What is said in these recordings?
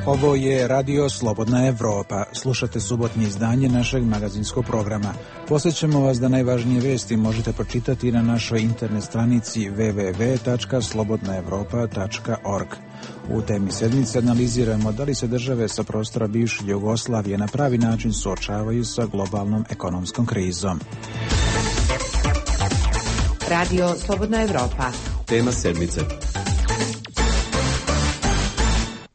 Ovo je Radio Slobodna Evropa. Slušate subotnje izdanje našeg magazinskog programa. Posjećamo vas da najvažnije vesti možete pročitati na našoj internet stranici www.slobodnaevropa.org. U temi sedmice analiziramo da li se države sa prostora bivše Jugoslavije na pravi način suočavaju sa globalnom ekonomskom krizom. Radio Slobodna Evropa. Tema sedmice.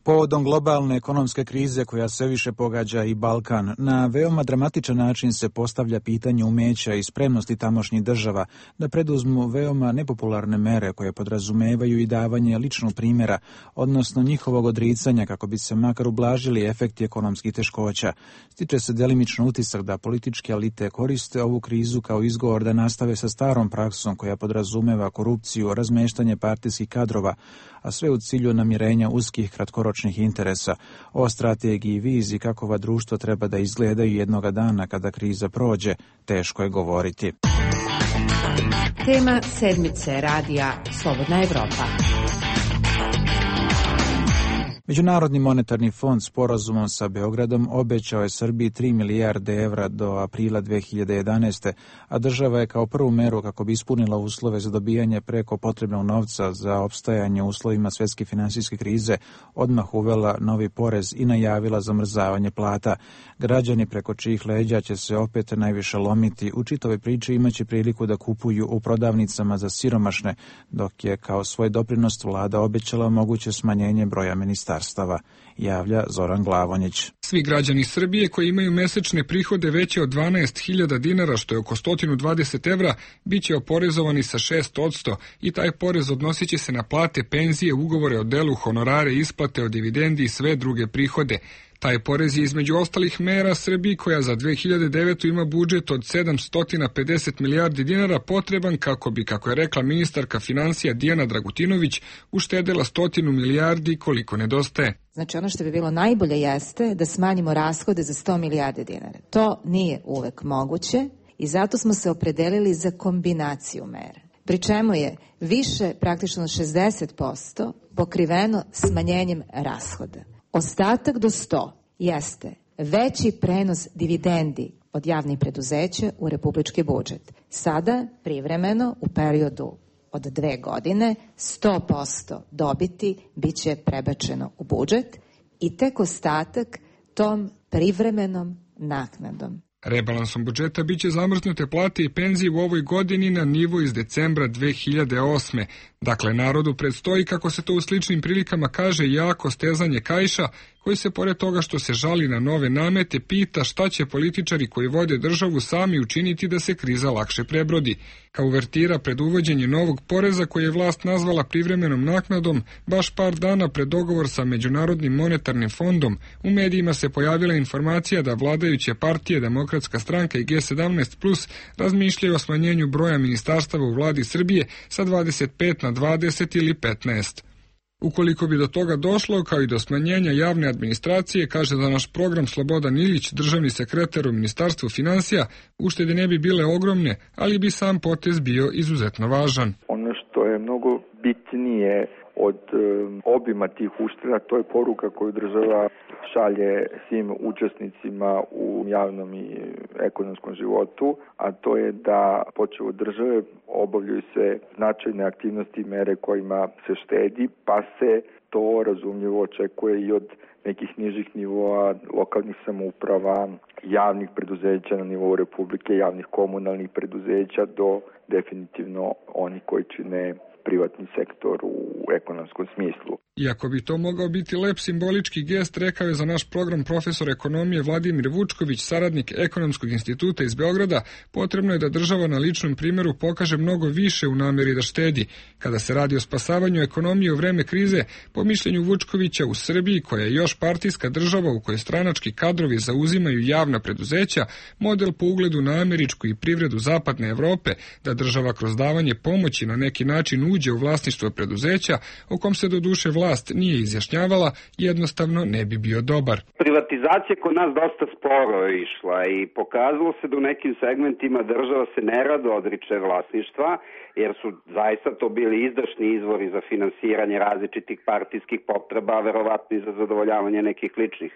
Povodom globalne ekonomske krize koja sve više pogađa i Balkan, na veoma dramatičan način se postavlja pitanje umeća i spremnosti tamošnjih država da preduzmu veoma nepopularne mere koje podrazumevaju i davanje ličnog primjera, odnosno njihovog odricanja kako bi se makar ublažili efekti ekonomskih teškoća. Stiče se delimično utisak da političke elite koriste ovu krizu kao izgovor da nastave sa starom praksom koja podrazumeva korupciju, razmeštanje partijskih kadrova, a sve u cilju namirenja uskih kratkoročnih interesa. O strategiji i viziji kakova društvo treba da izgledaju jednoga dana kada kriza prođe, teško je govoriti. Tema sedmice radija Slobodna Evropa. Međunarodni monetarni fond sporazumom sa Beogradom obećao je Srbiji 3 milijarde evra do aprila 2011. a država je kao prvu meru kako bi ispunila uslove za dobijanje preko potrebnog novca za opstajanje u uslovima svjetske finansijske krize odmah uvela novi porez i najavila zamrzavanje plata. Građani preko čijih leđa će se opet najviše lomiti u čitavoj priči imaće priliku da kupuju u prodavnicama za siromašne, dok je kao svoj doprinos vlada obećala moguće smanjenje broja ministarstava, javlja Zoran Glavonjić. Svi građani Srbije koji imaju mesečne prihode veće od 12.000 dinara, što je oko 120 evra, bit će oporezovani sa 6% i taj porez odnosit će se na plate, penzije, ugovore o delu, honorare, isplate od dividendi i sve druge prihode. Taj porez je između ostalih mera Srbiji koja za 2009. ima budžet od 750 milijardi dinara potreban kako bi, kako je rekla ministarka financija Dijana Dragutinović, uštedela 100 milijardi koliko nedostaje. Znači ono što bi bilo najbolje jeste da smanjimo rashode za 100 milijardi dinara. To nije uvek moguće i zato smo se opredelili za kombinaciju mera. Pri čemu je više, praktično 60%, pokriveno smanjenjem rashoda. Ostatak do 100 jeste veći prenos dividendi od javnih preduzeća u republički budžet. Sada, privremeno, u periodu od 2 godine, 100% dobiti bit će prebačeno u budžet i tek ostatak tom privremenom naknadom. Rebalansom budžeta biće zamrznute plate i penzije u ovoj godini na nivo iz decembra 2008. Dakle, narodu predstoji, kako se to u sličnim prilikama kaže, jako stezanje kaiša, koji se pored toga što se žali na nove namete, pita šta će političari koji vode državu sami učiniti da se kriza lakše prebrodi. Kao uvertira pred uvođenje novog poreza koji je vlast nazvala privremenom naknadom, baš par dana pred dogovor sa Međunarodnim monetarnim fondom, u medijima se pojavila informacija da vladajuće partije, Demokratska stranka i G17+, razmišljaju o smanjenju broja ministarstava u vladi Srbije sa 25 na 20 ili 15. Ukoliko bi do toga došlo, kao i do smanjenja javne administracije, kaže za naš program Slobodan Ilić, državni sekretar u Ministarstvu finansija, uštede ne bi bile ogromne, ali bi sam potez bio izuzetno važan. Ono što je mnogo bitnije od obima tih ušteda, to je poruka koju država šalje svim učesnicima u javnom i ekonomskom životu, a to je da počev od države obavljaju se značajne aktivnosti i mere kojima se štedi, pa se to razumljivo očekuje i od nekih nižih nivoa lokalnih samouprava, javnih preduzeća na nivou Republike, javnih komunalnih preduzeća do definitivno oni koji čine privatni sektor u ekonomskom smislu. Iako bi to mogao biti lep simbolički gest, rekao je za naš program profesor ekonomije Vladimir Vučković, saradnik Ekonomskog instituta iz Beograda, potrebno je da država na ličnom primjeru pokaže mnogo više u namjeri da štedi. Kada se radi o spasavanju ekonomije u vreme krize, po mišljenju Vučkovića, u Srbiji, koja je još partijska država u kojoj stranački kadrovi zauzimaju javna preduzeća, model po ugledu na američku i privredu zapadne Evrope, da država kroz davanje pomoći na neki način uđe u vlasništvo preduzeća, o kom se doduše vlast nije izjašnjavala, jednostavno ne bi bio dobar. Privatizacija kod nas dosta sporo je išla i pokazalo se da u nekim segmentima država se nerado odriče vlasništva, jer su zaista to bili izdašni izvori za finansiranje različitih partijskih potreba, verovatno i za zadovoljavanje nekih ličnih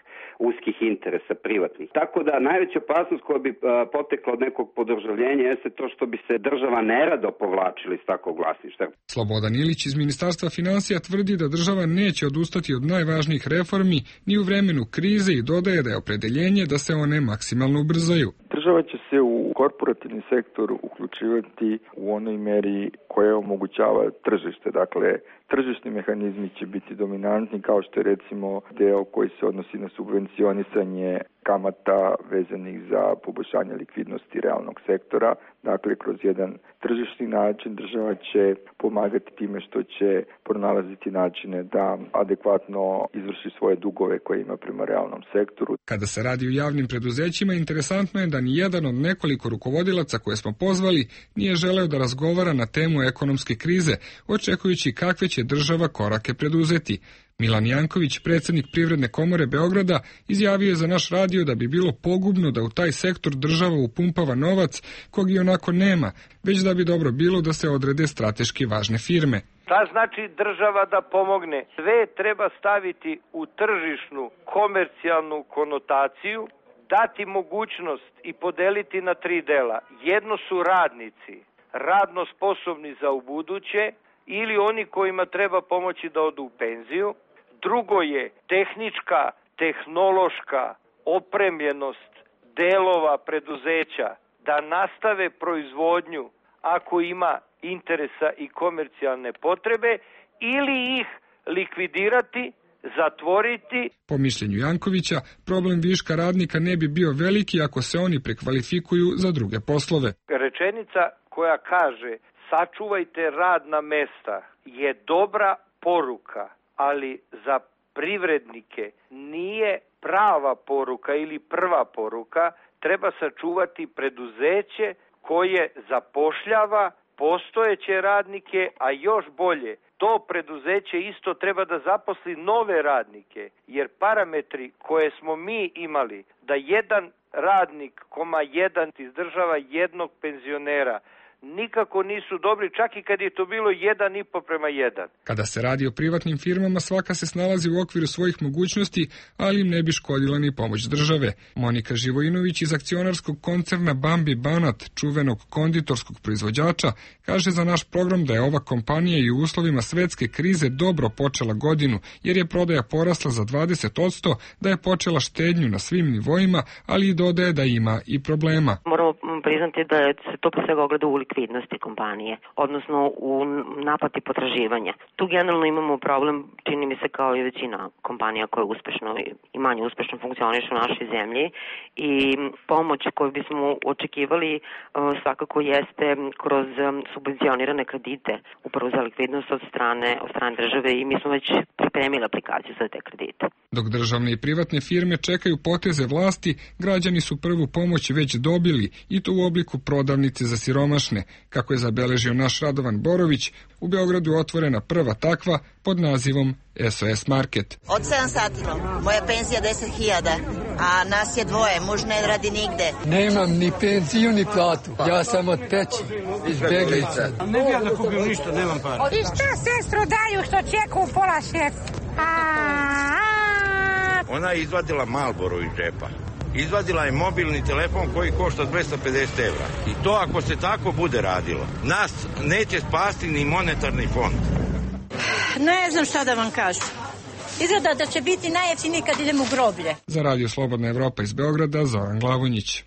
uskih interesa privatnih. Tako da najveća opasnost koja bi potekla od nekog podržavljenja jeste to što bi se država nerado povlačila iz takvog vlasništva. Slobodan Ilić iz Ministarstva finansija tvrdi da država neće odustati od najvažnijih reformi ni u vremenu krize i dodaje da je opredeljenje da se one maksimalno ubrzaju. Država će se u korporativni sektor uključivati u onoj meri koja omogućava tržište. Dakle, tržišni mehanizmi će biti dominantni, kao što je recimo deo koji se odnosi na subvencionisanje kamata vezanih za poboljšanje likvidnosti realnog sektora. Dakle, kroz jedan tržišni način država će pomagati time što će pronalaziti načine da adekvatno izvrši svoje dugove koje ima prema realnom sektoru. Kada se radi o javnim preduzećima, interesantno je da ni jedan od nekoliko rukovodilaca koje smo pozvali nije želeo da razgovara na temu ekonomske krize, očekujući kakve će država korake preduzeti. Milan Janković, predsjednik Privredne komore Beograda, izjavio je za naš radio da bi bilo pogubno da u taj sektor država upumpava novac kog i onako nema, već da bi dobro bilo da se odrede strateški važne firme. Šta znači država da pomogne? Sve treba staviti u tržišnu, komercijalnu konotaciju, dati mogućnost i podeliti na 3 dela. Jedno su radnici, radno sposobni za ubuduće, ili oni kojima treba pomoći da odu u penziju. Drugo je tehnička, tehnološka opremljenost delova preduzeća da nastave proizvodnju ako ima interesa i komercijalne potrebe, ili ih likvidirati, zatvoriti. Po mišljenju Jankovića, problem viška radnika ne bi bio veliki ako se oni prekvalifikuju za druge poslove. Rečenica koja kaže sačuvajte radna mesta je dobra poruka, ali za privrednike nije prava poruka ili prva poruka. Treba sačuvati preduzeće koje zapošljava postojeće radnike, a još bolje, to preduzeće isto treba da zaposli nove radnike, jer parametri koje smo mi imali, da jedan radnik, jedan izdržava jednog penzionera, nikako nisu dobri, čak i kad je to bilo 1,5:1. Kada se radi o privatnim firmama, svaka se snalazi u okviru svojih mogućnosti, ali im ne bi škodila ni pomoć države. Monika Živojinović iz akcionarskog koncerna Bambi Banat, čuvenog konditorskog proizvođača, kaže za naš program da je ova kompanija i u uslovima svetske krize dobro počela godinu, jer je prodaja porasla za 20%, da je počela štednju na svim nivoima, ali i dodaje da ima i problema. Moramo priznati da se to pre svega ogleda u likvidnosti kompanije, odnosno u naplati potraživanja. Tu generalno imamo problem, čini mi se kao i većina kompanija koje uspešno i manje uspešno funkcionišu u našoj zemlji, i pomoć koju bismo očekivali svakako jeste kroz subvencionirane kredite, upravo za likvidnost od strane države, i mi smo već pripremili aplikaciju za te kredite. Dok državne i privatne firme čekaju poteze vlasti, građani su prvu pomoć već dobili, i to u obliku prodavnice za siromašne. Kako je zabeležio naš Radovan Borović, u Beogradu otvorena prva takva pod nazivom SOS Market. Od 7 sati, moja penzija 10.000, a nas je 2, muž ne radi nigde. Nemam ni penziju ni platu, ja sam od peći, izbjeglica. Ne bi ja da kupim ništa, nemam para. I šta sestro daju što čeku u pola 6? Ona je izvadila Marlboro iz džepa. Izvadila je mobilni telefon koji košta 250 evra. I to ako se tako bude radilo, nas neće spasti ni monetarni fond. Ne znam šta da vam kažem. Izgleda da će biti najjeftiniji kad idemo u groblje. Za Radio Slobodna Evropa iz Beograda, Zoran Glavonjić.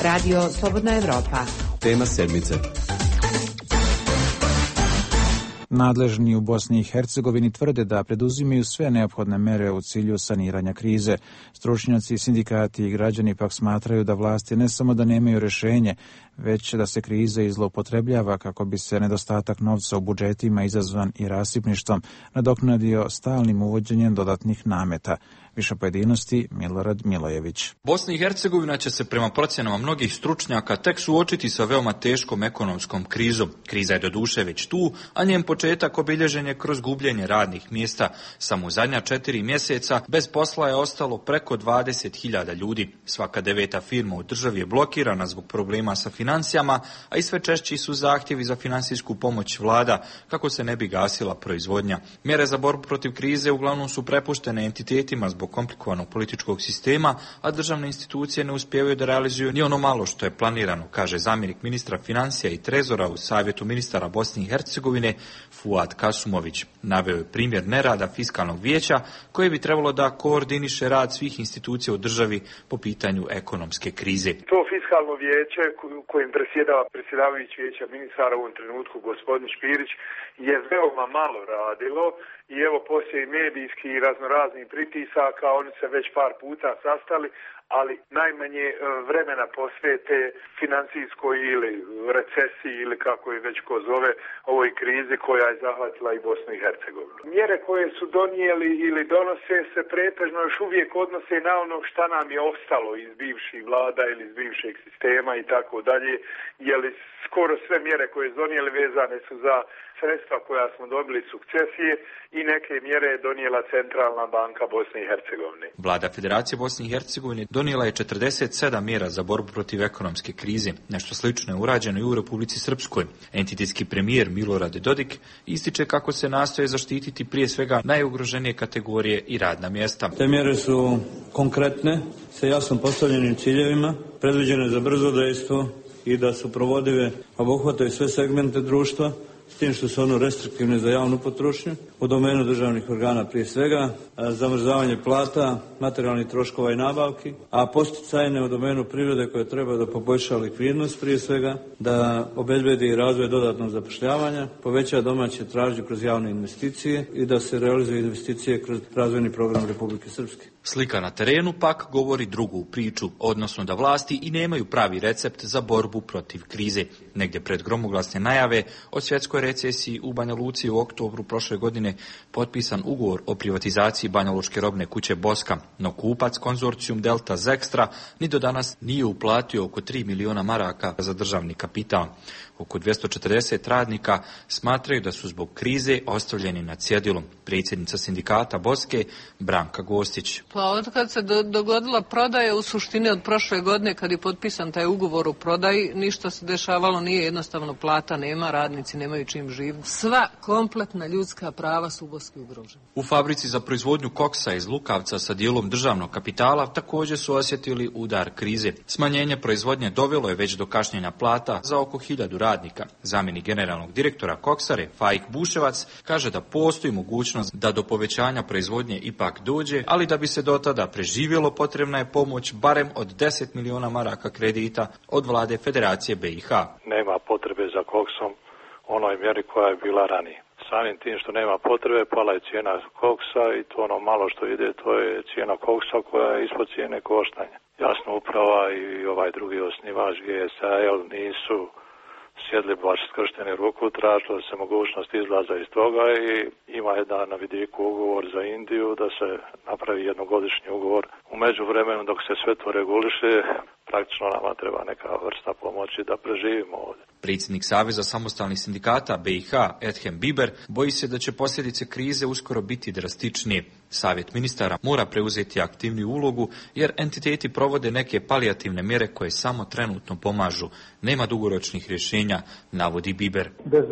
Radio Slobodna Evropa. Tema sedmice. Nadležni u Bosni i Hercegovini tvrde da preduzimaju sve neophodne mere u cilju saniranja krize. Stručnjaci, sindikati i građani pak smatraju da vlasti ne samo da nemaju rješenje, već da se kriza i zloupotrebljava kako bi se nedostatak novca u budžetima izazvan i rasipništvom nadoknadio stalnim uvođenjem dodatnih nameta. Više pojedinosti Milorad Milojević. Bosna i Hercegovina će se prema procjenama mnogih stručnjaka tek suočiti sa veoma teškom ekonomskom krizom. Kriza je doduše već tu, a njen početak obilježen je kroz gubljenje radnih mjesta. Samo u zadnja 4 mjeseca bez posla je ostalo preko 20.000 ljudi. Svaka 9. firma u državi je blokirana zbog problema sa financijama, a i sve češći su zahtjevi za financijsku pomoć vlada kako se ne bi gasila proizvodnja. Mjere za borbu protiv krize uglavnom su prepuštene entitetima zbog komplikovanog političkog sistema, a državne institucije ne uspijevaju da realizuju ni ono malo što je planirano, kaže zamjenik ministra financija i trezora u Savjetu ministara Bosne i Hercegovine Fuad Kasumović. Naveo je primjer nerada fiskalnog vijeća koje bi trebalo da koordiniše rad svih institucija u državi po pitanju ekonomske krize. To fiskalno vijeće kojim predsjedava predsjedavajući vijeća ministara u ovom trenutku gospodin Špirić je veoma malo radilo i evo poslije i medijskih i raznoraznih pritisaka oni se već par puta sastali, ali najmanje vremena posvete financijskoj ili recesiji ili kako je već ko zove ovoj krizi koja je zahvatila i Bosnu i Hercegovinu. Mjere koje su donijeli ili donose se pretežno još uvijek odnose na ono šta nam je ostalo iz bivših vlada ili iz bivšeg sistema i tako dalje, jer skoro sve mjere koje su donijeli vezane su za sredstva koja smo dobili sukcesije i neke mjere je donijela Centralna banka Bosne i Hercegovine. Vlada Federacije Bosne i Hercegovine donijela je 47 mjera za borbu protiv ekonomske krize. Nešto slično je urađeno i u Republici Srpskoj. Entitetski premijer Milorad Dodik ističe kako se nastoje zaštititi prije svega najugroženije kategorije i radna mjesta. Te mjere su konkretne, sa jasno postavljenim ciljevima, predviđene za brzo dejstvo i da su provodive, obuhvataju sve segmente društva, s tim što su ono restriktivne za javnu potrošnju, u domenu državnih organa prije svega, zamrzavanje plata, materijalnih troškova i nabavki, a posticajne u domenu privrede koje treba da poboljša likvidnost prije svega, da obezbedi razvoj dodatnog zapošljavanja, poveća domaće tražnje kroz javne investicije i da se realizuju investicije kroz razvojni program Republike Srpske. Slika na terenu pak govori drugu priču, odnosno da vlasti i nemaju pravi recept za borbu protiv krize. Negdje pred gromoglasne najave o svjetskoj recesiji u Banja Luci u oktobru prošle godine potpisan ugovor o privatizaciji banjalučke robne kuće Boska, no kupac konzorcijum Delta Zextra ni do danas nije uplatio oko 3 miliona maraka za državni kapital. Oko 240 radnika smatraju da su zbog krize ostavljeni na cjedilu. Predsjednica sindikata Boske Branka Gostić. Pa od kad se dogodila prodaja, u suštini od prošle godine kad je potpisan taj ugovor o prodaji, ništa se dešavalo nije, jednostavno plata nema, radnici nemaju čim živjeti. Sva kompletna ljudska prava su u Boski ugrožena. U fabrici za proizvodnju koksa iz Lukavca sa dijelom državnog kapitala također su osjetili udar krize. Smanjenje proizvodnje dovelo je već do kašnjenja plata za oko 1000 radnika. Zamjenik generalnog direktora Koksare, Faik Buševac, kaže da postoji mogućnost da do povećanja proizvodnje ipak dođe, ali da bi se do tada preživjelo potrebna je pomoć barem od 10 miliona maraka kredita od vlade Federacije BiH. Nema potrebe za koksom onoj mjeri koja je bila ranije. Samim tim što nema potrebe, pala je cijena koksa i to ono malo što ide, to je cijena koksa koja je ispod cijene koštanja. Jasno, uprava i ovaj drugi osnivač GSAL nisu sjedli baš skršteni ruku, tražila se mogućnost izlaza iz toga i ima jedan na vidiku ugovor za Indiju da se napravi jednogodišnji ugovor. U međuvremenu dok se sve to reguliše, praktično nama treba neka vrsta pomoći da preživimo ovdje. Predsjednik Saveza samostalnih sindikata BiH Edhem Biber boji se da će posljedice krize uskoro biti drastičnije. Savjet ministara mora preuzeti aktivniju ulogu jer entiteti provode neke palijativne mjere koje samo trenutno pomažu. Nema dugoročnih rješenja, navodi Biber. Bez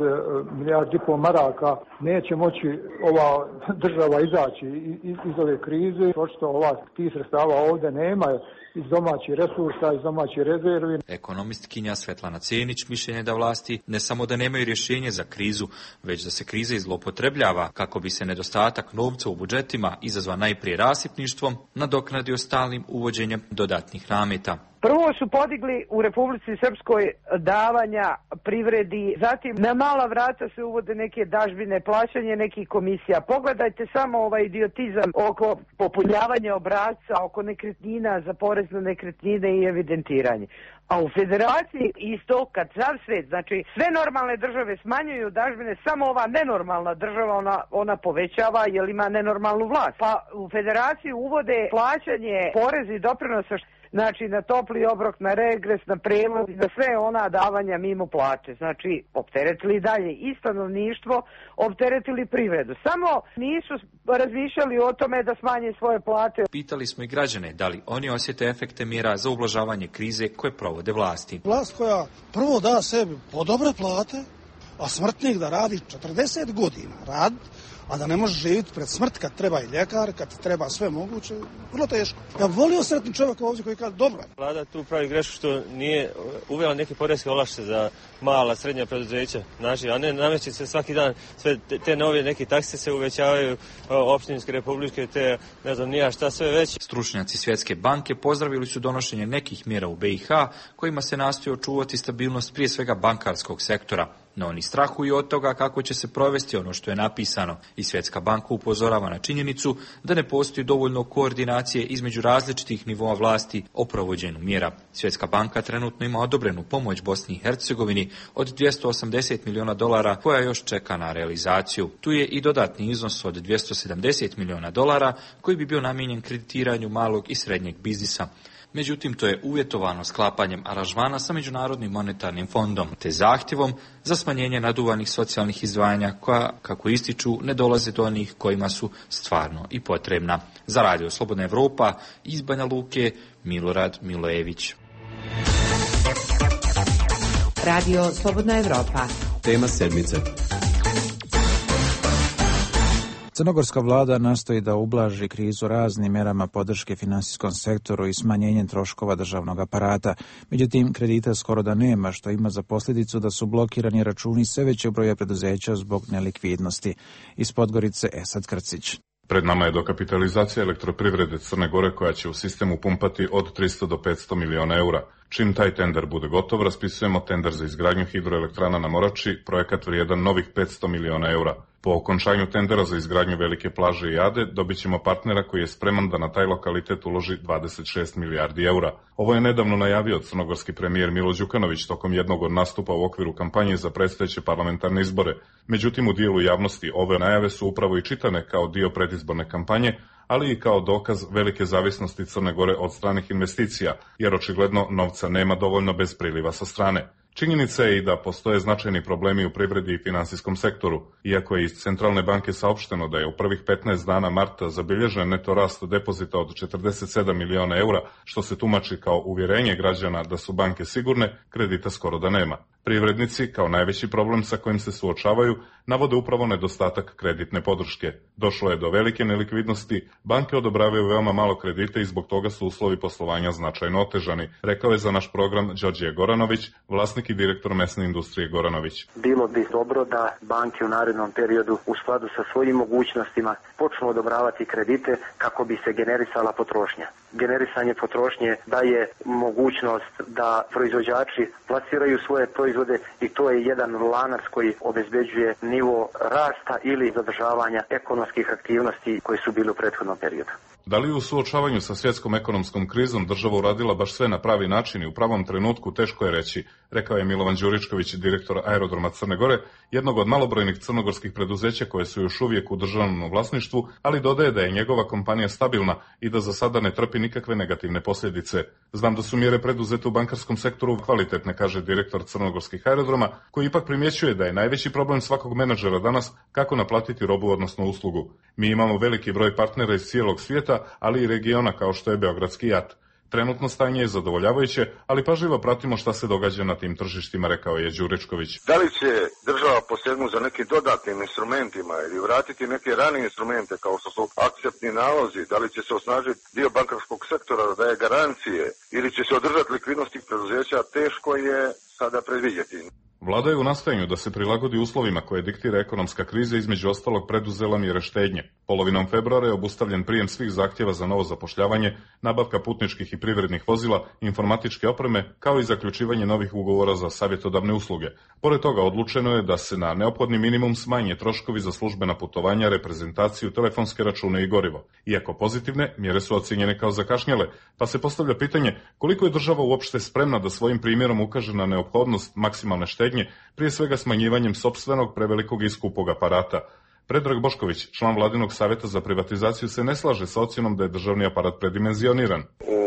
milijardi i pol maraka neće moći ova država izaći iz ove krize. Očito tih sredstava ovdje nema iz domaćih resursa, iz domaćih rezervi. Ekonomistkinja Svetlana Cenić mišljenje da vlasti ne samo da nemaju rješenje za krizu, već da se kriza zloupotrebljava kako bi se nedostatak novca u budžetima izazvan najprije rasipništvom nadoknadio stalnim uvođenjem dodatnih nameta. Prvo su podigli u Republici Srpskoj davanja privredi, zatim na mala vrata se uvode neke dažbine, plaćanje nekih komisija. Pogledajte samo ovaj idiotizam oko popunjavanja obrasca, oko nekretnina za porez na nekretnine i evidentiranje. A u federaciji isto, kad sav svet, znači sve normalne države smanjuju dažbine, samo ova nenormalna država ona povećava jer ima nenormalnu vlast. Pa u federaciji uvode plaćanje poreza i doprinosa, znači na topli obrok, na regres, na prevoz, na sve ona davanja mimo plaće. Znači, opteretili dalje i stanovništvo, opteretili privredu. Samo nisu razmišljali o tome da smanje svoje plate. Pitali smo i građane da li oni osjete efekte mjera za ublažavanje krize koje provode vlasti. Vlast koja prvo da sebi po dobre plate, a smrtnik da radi 40 godina rad, a da ne može živjeti pred smrt kad treba i ljekar, kad treba sve moguće, vrlo teško. Ja volio sretni čovjek ovdje koji kaže dobro. Vlada tu pravi grešku što nije uvela neke poreske olakšice za mala, srednja preduzeća, znači, a ne nameće se svaki dan sve te nove neke takse se uvećavaju, opštinske, republičke, te ne znam nija šta sve već. Stručnjaci Svjetske banke pozdravili su donošenje nekih mjera u BiH kojima se nastoji očuvati stabilnost prije svega bankarskog sektora. No oni strahuju od toga kako će se provesti ono što je napisano i Svjetska banka upozorava na činjenicu da ne postoji dovoljno koordinacije između različitih nivoa vlasti o provođenju mjera. Svjetska banka trenutno ima odobrenu pomoć Bosni i Hercegovini od $280 milijuna koja još čeka na realizaciju. Tu je i dodatni iznos od $270 milijuna koji bi bio namijenjen kreditiranju malog i srednjeg biznisa. Međutim, to je uvjetovano sklapanjem aranžmana sa Međunarodnim monetarnim fondom, te zahtjevom za smanjenje naduvanih socijalnih izdvajanja koja, kako ističu, ne dolaze do onih kojima su stvarno i potrebna. Za Radio Slobodna Evropa iz Banja Luke, Milorad Milojević. Radio Slobodna Evropa. Tema sedmice. Crnogorska vlada nastoji da ublaži krizu raznim mjerama podrške finansijskom sektoru i smanjenjem troškova državnog aparata. Međutim, kredita skoro da nema, što ima za posljedicu da su blokirani računi sve većeg broja preduzeća zbog nelikvidnosti. Iz Podgorice Esad Krcić. Pred nama je dokapitalizacija elektroprivrede Crne Gore koja će u sistemu pumpati od 300 do 500 miliona eura. Čim taj tender bude gotov, raspisujemo tender za izgradnju hidroelektrana na Morači, projekat vrijedan novih 500 miliona eura. Po okončanju tendera za izgradnju Velike plaže i Ade dobit ćemo partnera koji je spreman da na taj lokalitet uloži 26 milijardi eura. Ovo je nedavno najavio crnogorski premijer Milo Đukanović tokom jednog od nastupa u okviru kampanje za predstojeće parlamentarne izbore. Međutim, u dijelu javnosti ove najave su upravo i čitane kao dio predizborne kampanje, ali i kao dokaz velike zavisnosti Crne Gore od stranih investicija, jer očigledno novca nema dovoljno bez priliva sa strane. Činjenica je i da postoje značajni problemi u privredi i finansijskom sektoru. Iako je iz Centralne banke saopšteno da je u prvih 15 dana marta zabilježen neto rast depozita od 47 miliona eura, što se tumači kao uvjerenje građana da su banke sigurne, kredita skoro da nema. Privrednici, kao najveći problem sa kojim se suočavaju, navode upravo nedostatak kreditne podrške. Došlo je do velike nelikvidnosti, banke odobravaju veoma malo kredite i zbog toga su uslovi poslovanja značajno otežani, rekao je za naš program Đorđe Goranović, vlasnik i direktor mesne industrije Goranović. Bilo bi dobro da banke u narednom periodu u skladu sa svojim mogućnostima počnu odobravati kredite kako bi se generisala potrošnja. Generisanje potrošnje daje mogućnost da proizvođači plasiraju svoje proizvode i to je jedan lanac koji obezbeđuje nivo rasta ili zadržavanja ekonomskih aktivnosti koje su bile u prethodnom periodu. Da li u suočavanju sa svjetskom ekonomskom krizom država uradila baš sve na pravi način i u pravom trenutku, teško je reći, rekao je Milovan Đuričković, direktor Aerodroma Crne Gore, jednog od malobrojnih crnogorskih preduzeća koje su još uvijek u državnom vlasništvu, ali dodaje da je njegova kompanija stabilna i da za sada ne trpi nikakve negativne posljedice. Znam da su mjere preduzete u bankarskom sektoru kvalitetne, kaže direktor crnogorskih aerodroma, koji ipak primjećuje da je najveći problem svakog menadžera danas kako naplatiti robu odnosno uslugu. Mi imamo veliki broj partnera iz cijelog svijeta, ali i regiona kao što je Beogradski JAT. Trenutno stanje je zadovoljavajuće, ali pažljivo pratimo šta se događa na tim tržištima, rekao je Đuričković. Da li će država posegnuti za nekim dodatnim instrumentima ili vratiti neke ranije instrumente kao što su akceptni nalozi, da li će se osnažiti dio bankarskog sektora da daje garancije ili će se održati likvidnost tih preduzeća, teško je sada predvidjeti. Vlada je u nastojanju da se prilagodi uslovima koje diktira ekonomska kriza, između ostalog preduzela mjere štednje. Polovinom februara je obustavljen prijem svih zahtjeva za novo zapošljavanje, nabavka putničkih i privrednih vozila, informatičke opreme, kao i zaključivanje novih ugovora za savjetodavne usluge. Pored toga odlučeno je da se na neophodni minimum smanje troškovi za službena putovanja, reprezentaciju, telefonske račune i gorivo. Iako pozitivne, mjere su ocjenjene kao zakašnjele, pa se postavlja pitanje koliko je država uopšte spremna da svojim primjerom ukaže na neophodnost maksimalne štednje, prije svega smanjivanjem sopstvenog prevelikog i skupog aparata. Predrag Bošković, član Vladinog savjeta za privatizaciju, se ne slaže sa ocjenom da je državni aparat predimenzioniran. U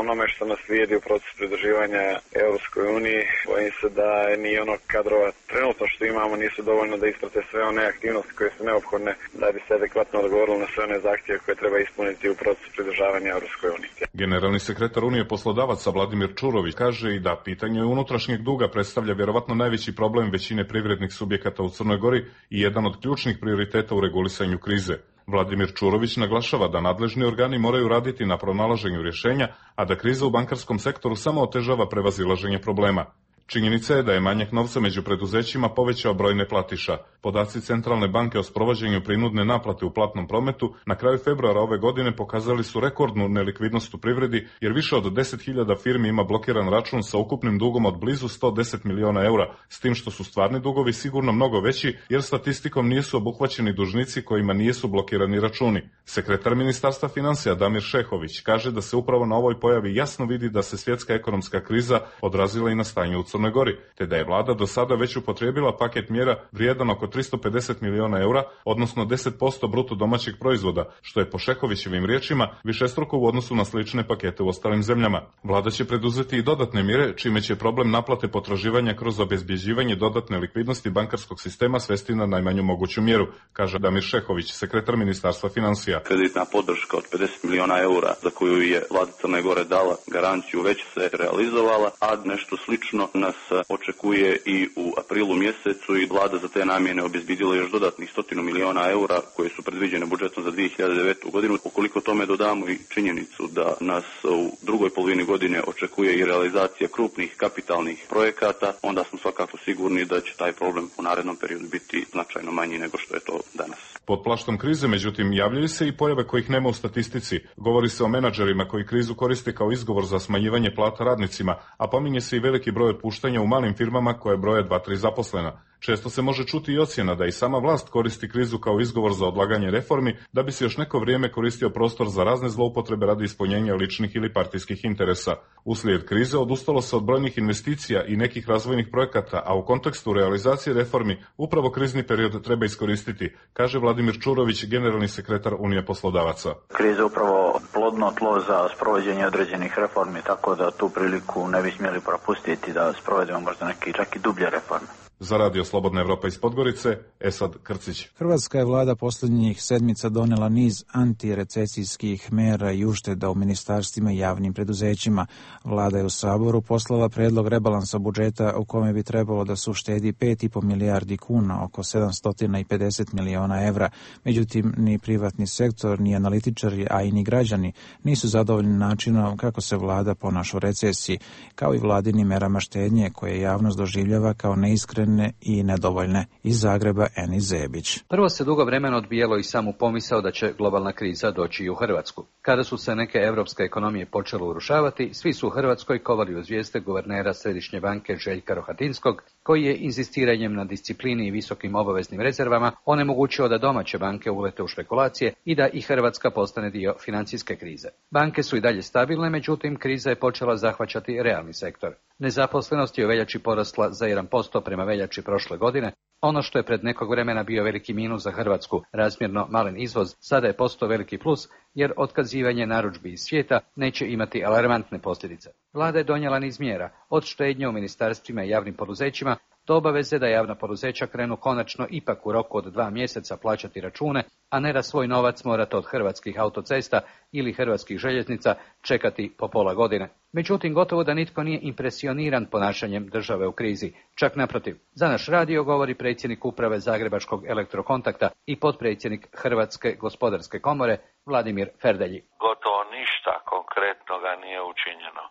onome što nas slijedi u procesu pridruživanja Europskoj uniji, bojim se da ni ono kadrova trenutno što imamo nisu dovoljno da isprate sve one aktivnosti koje su neophodne da bi se adekvatno odgovorilo na sve one zahtjeve koje treba ispuniti u procesu pridružavanja Europskoj uniji. Generalni sekretar Unije poslodavaca Vladimir Čurović kaže i da pitanje unutrašnjeg duga predstavlja vjerovatno najveći problem većine privrednih subjekata u Crnoj Gori i jedan od ključnih prioriteta u regulisanju krize. Vladimir Čurović naglašava da nadležni organi moraju raditi na pronalaženju rješenja, a da kriza u bankarskom sektoru samo otežava prevazilaženje problema. Činjenica je da je manjak novca među preduzećima povećao broj neplatiša. Podaci Centralne banke o sprovođenju prinudne naplate u platnom prometu na kraju februara ove godine pokazali su rekordnu nelikvidnost u privredi, jer više od 10.000 firmi ima blokiran račun sa ukupnim dugom od blizu 110 miliona eura, s tim što su stvarni dugovi sigurno mnogo veći, jer statistikom nisu obuhvaćeni dužnici kojima nisu blokirani računi. Sekretar Ministarstva financija Damir Šehović kaže da se upravo na ovoj pojavi jasno vidi da se svjetska ekonomska kriza odrazila i na stanje u Crnoj Gori, te da je vlada do sada već upotrijebila paket mjera vrijedan oko 350 miliona eura, odnosno 10% bruto domaćeg proizvoda, što je po Šehovićevim riječima višestruko u odnosu na slične pakete u ostalim zemljama. Vlada će preduzeti i dodatne mjere, čime će problem naplate potraživanja kroz obezbjeđivanje dodatne likvidnosti bankarskog sistema svesti na najmanju moguću mjeru, kaže Damir Šehović, sekretar Ministarstva financija. Kreditna podrška od 50 miliona eura za koju je vlada Crne Gore dala garanciju već se realizovala, a nešto slično nas očekuje i u aprilu mjesecu i vlada za te namjene obezbjedila još dodatnih 100 miliona eura koje su predviđene budžetom za 2009. godinu. Ukoliko tome dodamo i činjenicu da nas u drugoj polovini godine očekuje i realizacija krupnih kapitalnih projekata, onda smo svakako sigurni da će taj problem u narednom periodu biti značajno manji nego što je to danas. Pod plaštom krize, međutim, javljaju se i pojave kojih nema u statistici. Govori se o menadžerima koji krizu koriste kao izgovor za smanjivanje plata radnicima, a pominje se i veliki broj otpuštanja u malim firmama koje broje 2-3 zaposlena. Često se može čuti i ocjena da i sama vlast koristi krizu kao izgovor za odlaganje reformi, da bi se još neko vrijeme koristio prostor za razne zloupotrebe radi ispunjenja ličnih ili partijskih interesa. Uslijed krize odustalo se od brojnih investicija i nekih razvojnih projekata, a u kontekstu realizacije reformi upravo krizni period treba iskoristiti, kaže Vladimir Čurović, generalni sekretar Unije poslodavaca. Kriza je upravo plodno tlo za sprovođenje određenih reformi, tako da tu priliku ne bi smjeli propustiti da sprovedemo možda neki čak i dublje reforme. Za Radio Slobodna Evropa iz Podgorice, Esad Krcić. Hrvatska je vlada posljednjih sedmica donijela niz antirecesijskih mjera i ušteda u ministarstvima i javnim preduzećima. Vlada je u Saboru poslala predlog rebalansa budžeta u kome bi trebalo da se uštedi 5,5 milijardi kuna, oko 750 miliona evra. Međutim, ni privatni sektor, ni analitičari, a i ni građani nisu zadovoljni načinom kako se vlada ponaša u recesiji, kao i vladinim merama štednje koje javnost doživljava kao neiskrene i nedovoljne. Iz Zagreba, Eni Zebić. Prvo se dugo vremena odbijalo i samu pomisao da će globalna kriza doći i u Hrvatsku. Kada su se neke europske ekonomije počele urušavati, svi su u Hrvatskoj kovali u zvijezde guvernera Središnje banke Željka Rohatinskog, koji je inzistiranjem na disciplini i visokim obaveznim rezervama onemogućio da domaće banke ulete u špekulacije i da i Hrvatska postane dio financijske krize. Banke su i dalje stabilne, međutim kriza je počela zahvaćati realni sektor. Nezaposlenost je u veljači porasla za 1% prema veljači prošle godine. Ono što je pred nekog vremena bio veliki minus za Hrvatsku, razmjerno malen izvoz, sada je postao veliki plus, jer otkazivanje narudžbi iz svijeta neće imati alarmantne posljedice. Vlada je donijela niz mjera, od štednje u ministarstvima i javnim poduzećima do obaveze da javna poduzeća krenu konačno ipak u roku od 2 mjeseca plaćati račune, a ne da svoj novac morate od Hrvatskih autocesta ili Hrvatskih željeznica čekati po pola godine. Međutim, gotovo da nitko nije impresioniran ponašanjem države u krizi. Čak naprotiv. Za naš radio govori predsjednik uprave Zagrebačkog Elektrokontakta i potpredsjednik Hrvatske gospodarske komore Vladimir Ferdelji. Gotovo ništa konkretnoga nije učinjeno.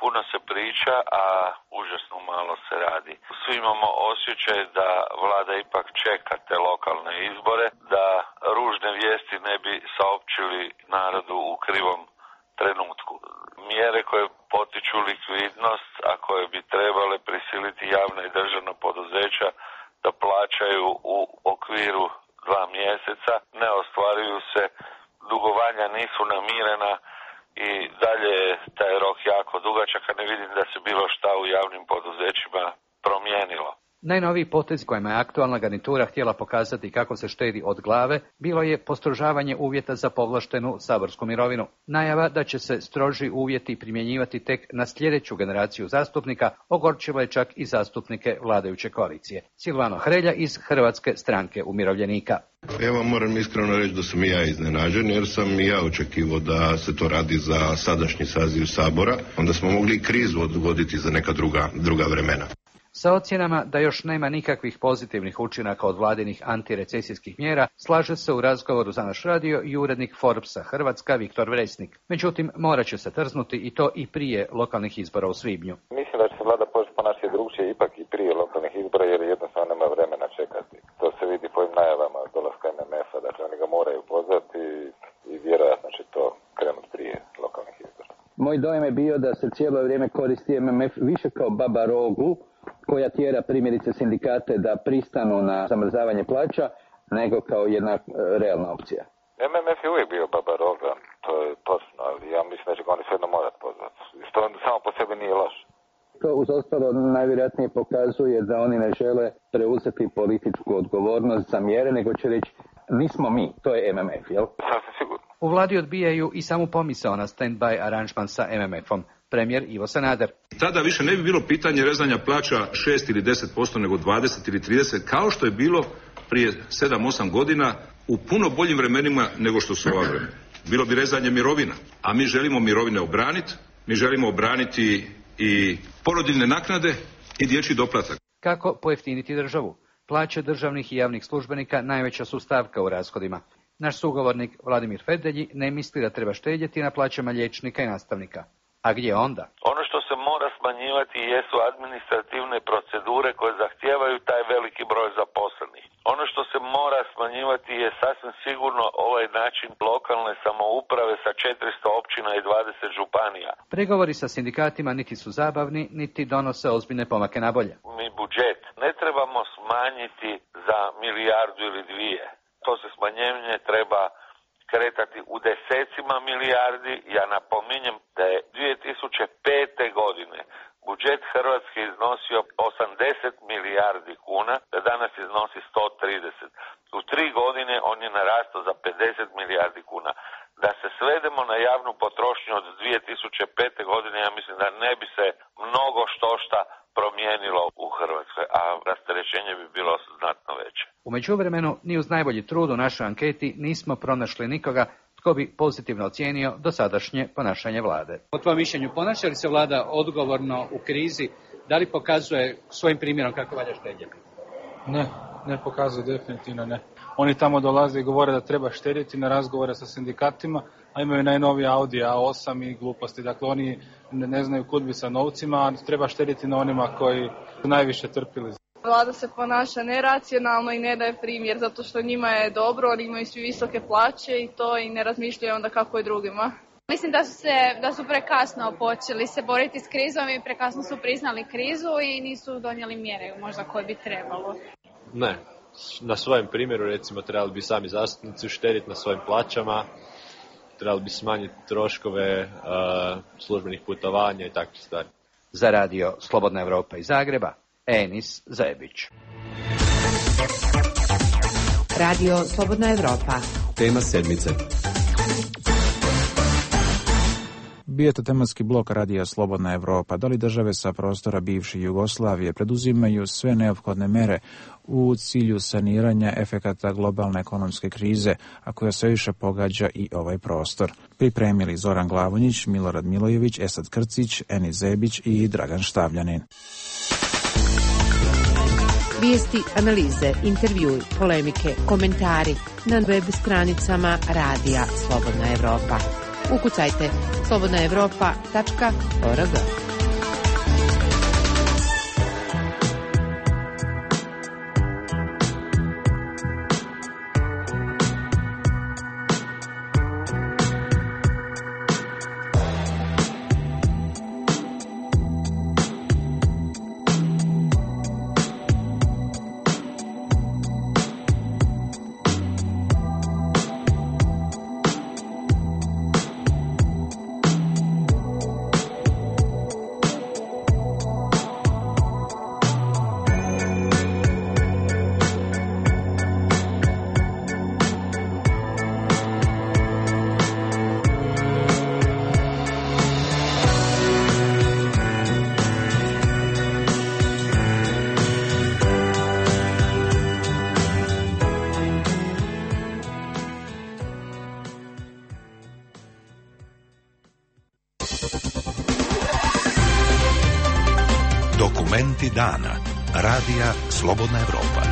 Puno se priča, a užasno malo se radi. Svi imamo osjećaj da vlada ipak čeka te lokalne izbore, da ružne vijesti ne bi saopćili narodu u krivom trenutku. Mjere koje potiču likvidnost, a koje bi trebale prisiliti javna i državna poduzeća da plaćaju u okviru 2 mjeseca, ne ostvaruju se, dugovanja nisu namirena, i dalje je taj rok jako dugačak, a ne vidim da se bilo šta u javnim poduzećima promijenilo. Najnoviji potez kojima je aktualna garnitura htjela pokazati kako se štedi od glave bilo je postrožavanje uvjeta za povlaštenu saborsku mirovinu. Najava da će se stroži uvjeti primjenjivati tek na sljedeću generaciju zastupnika ogorčila je čak i zastupnike vladajuće koalicije. Silvano Hrelja iz Hrvatske stranke umirovljenika. Evo, moram iskreno reći da sam i ja iznenađen, jer sam i ja očekivao da se to radi za sadašnji saziv Sabora. Onda smo mogli i krizu odgoditi za neka druga vremena. Sa ocjenama da još nema nikakvih pozitivnih učinaka od vladinih antirecesijskih mjera, slaže se u razgovoru za naš radio i urednik Forbesa Hrvatska Viktor Vresnik. Međutim, morat će se trznuti i to i prije lokalnih izbora u svibnju. Mislim da će se vlada početi ponašati drugčije ipak i prije lokalnih izbora, jer jednostavno nema vremena čekati. To se vidi po ovim najavama dolaska MMF-a, dakle oni ga moraju pozvati i vjerojatno će to krenuti prije lokalnih izbora. Moj dojem je bio da se cijelo vrijeme koristi MMF više kao baba rogu, koja tjera primjerice sindikate da pristanu na zamrzavanje plaća, nego kao jedna realna opcija. MMF je uvijek bio baba roga, to je točno, ali ja mislim da će ga oni svejedno morati pozvati. Što samo po sebi nije loše. To uz ostalo najvjerojatnije pokazuje da oni ne žele preuzeti političku odgovornost za mjere, nego će reći nismo mi, to je MMF, jel? Sasvim sigurno. U vladi odbijaju i samu pomisao na stand-by aranžman sa MMF-om. Premijer Ivo Sanader. Tada više ne bi bilo pitanje rezanja plaća 6 ili 10%, nego 20 ili 30%, kao što je bilo prije 7-8 godina u puno boljim vremenima nego što su ova vremena. Bilo bi rezanje mirovina, a mi želimo mirovine obraniti, mi želimo obraniti i porodiljne naknade i dječji doplatak. Kako pojeftiniti državu? Plaće državnih i javnih službenika najveća su stavka u rashodima. Naš sugovornik Vladimir Ferdelji ne misli da treba štedjeti na plaćama liječnika i nastavnika. A gdje onda? Ono što se mora smanjivati jesu administrativne procedure koje zahtijevaju taj veliki broj zaposlenih. Ono što se mora smanjivati je sasvim sigurno ovaj način lokalne samouprave sa 400 općina i 20 županija. Pregovori sa sindikatima niti su zabavni, niti donose ozbiljne pomake na bolje. Mi budžet ne trebamo smanjiti za 1 milijardu ili 2. To se smanjenje treba kretati u desecima milijardi. Ja napominjem da je 2005. godine budžet Hrvatske iznosio 80 milijardi kuna, da danas iznosi 130. U 3 godine on je narastao za 50 milijardi kuna. Da se svedemo na javnu potrošnju od 2005. godine, ja mislim da ne bi se mnogo štošta promijenilo u Hrvatskoj, a rasterećenje bi bilo znatno veće. U međuvremenu, ni uz najbolji trud u našoj anketi nismo pronašli nikoga tko bi pozitivno ocijenio dosadašnje ponašanje vlade. Po tvojom mišljenju, ponaša li se vlada odgovorno u krizi? Da li pokazuje svojim primjerom kako valja štedjeti? Ne pokazuje, definitivno ne. Oni tamo dolaze i govore da treba štedjeti na razgovore sa sindikatima, a imaju najnoviji Audi A8 i gluposti. Dakle, oni ne znaju kud bi sa novcima, a treba štedjeti na onima koji su najviše trpili. Vlada se ponaša neracionalno i ne daje primjer, zato što njima je dobro, oni imaju svi visoke plaće i to i ne razmišljaju onda kako je drugima. Mislim da su prekasno počeli se boriti s krizom i prekasno su priznali krizu i nisu donijeli mjere možda koje bi trebalo. Ne, na svojem primjeru recimo trebali bi sami zastupnici štediti na svojim plaćama, trebali bi smanjiti troškove službenih putovanja i takve stvari. Za radio Slobodna Evropa iz Zagreba, Enis Zajebić. Radio Slobodna Evropa. Tema sedmice. Bio je to tematski blok Radija Slobodna Evropa. Da li države sa prostora bivše Jugoslavije preduzimaju sve neophodne mere u cilju saniranja efekata globalne ekonomske krize, a koja sve više pogađa i ovaj prostor? Pripremili Zoran Glavonjić, Milorad Milojević, Esad Krcić, Eni Zebić i Dragan Štavljanin. Vijesti, analize, intervjui, polemike, komentari na web stranicama Radija Slobodna Evropa. Ukucajte slobodnaevropa.org. Dokumenti dana. Radija Slobodna Evropa.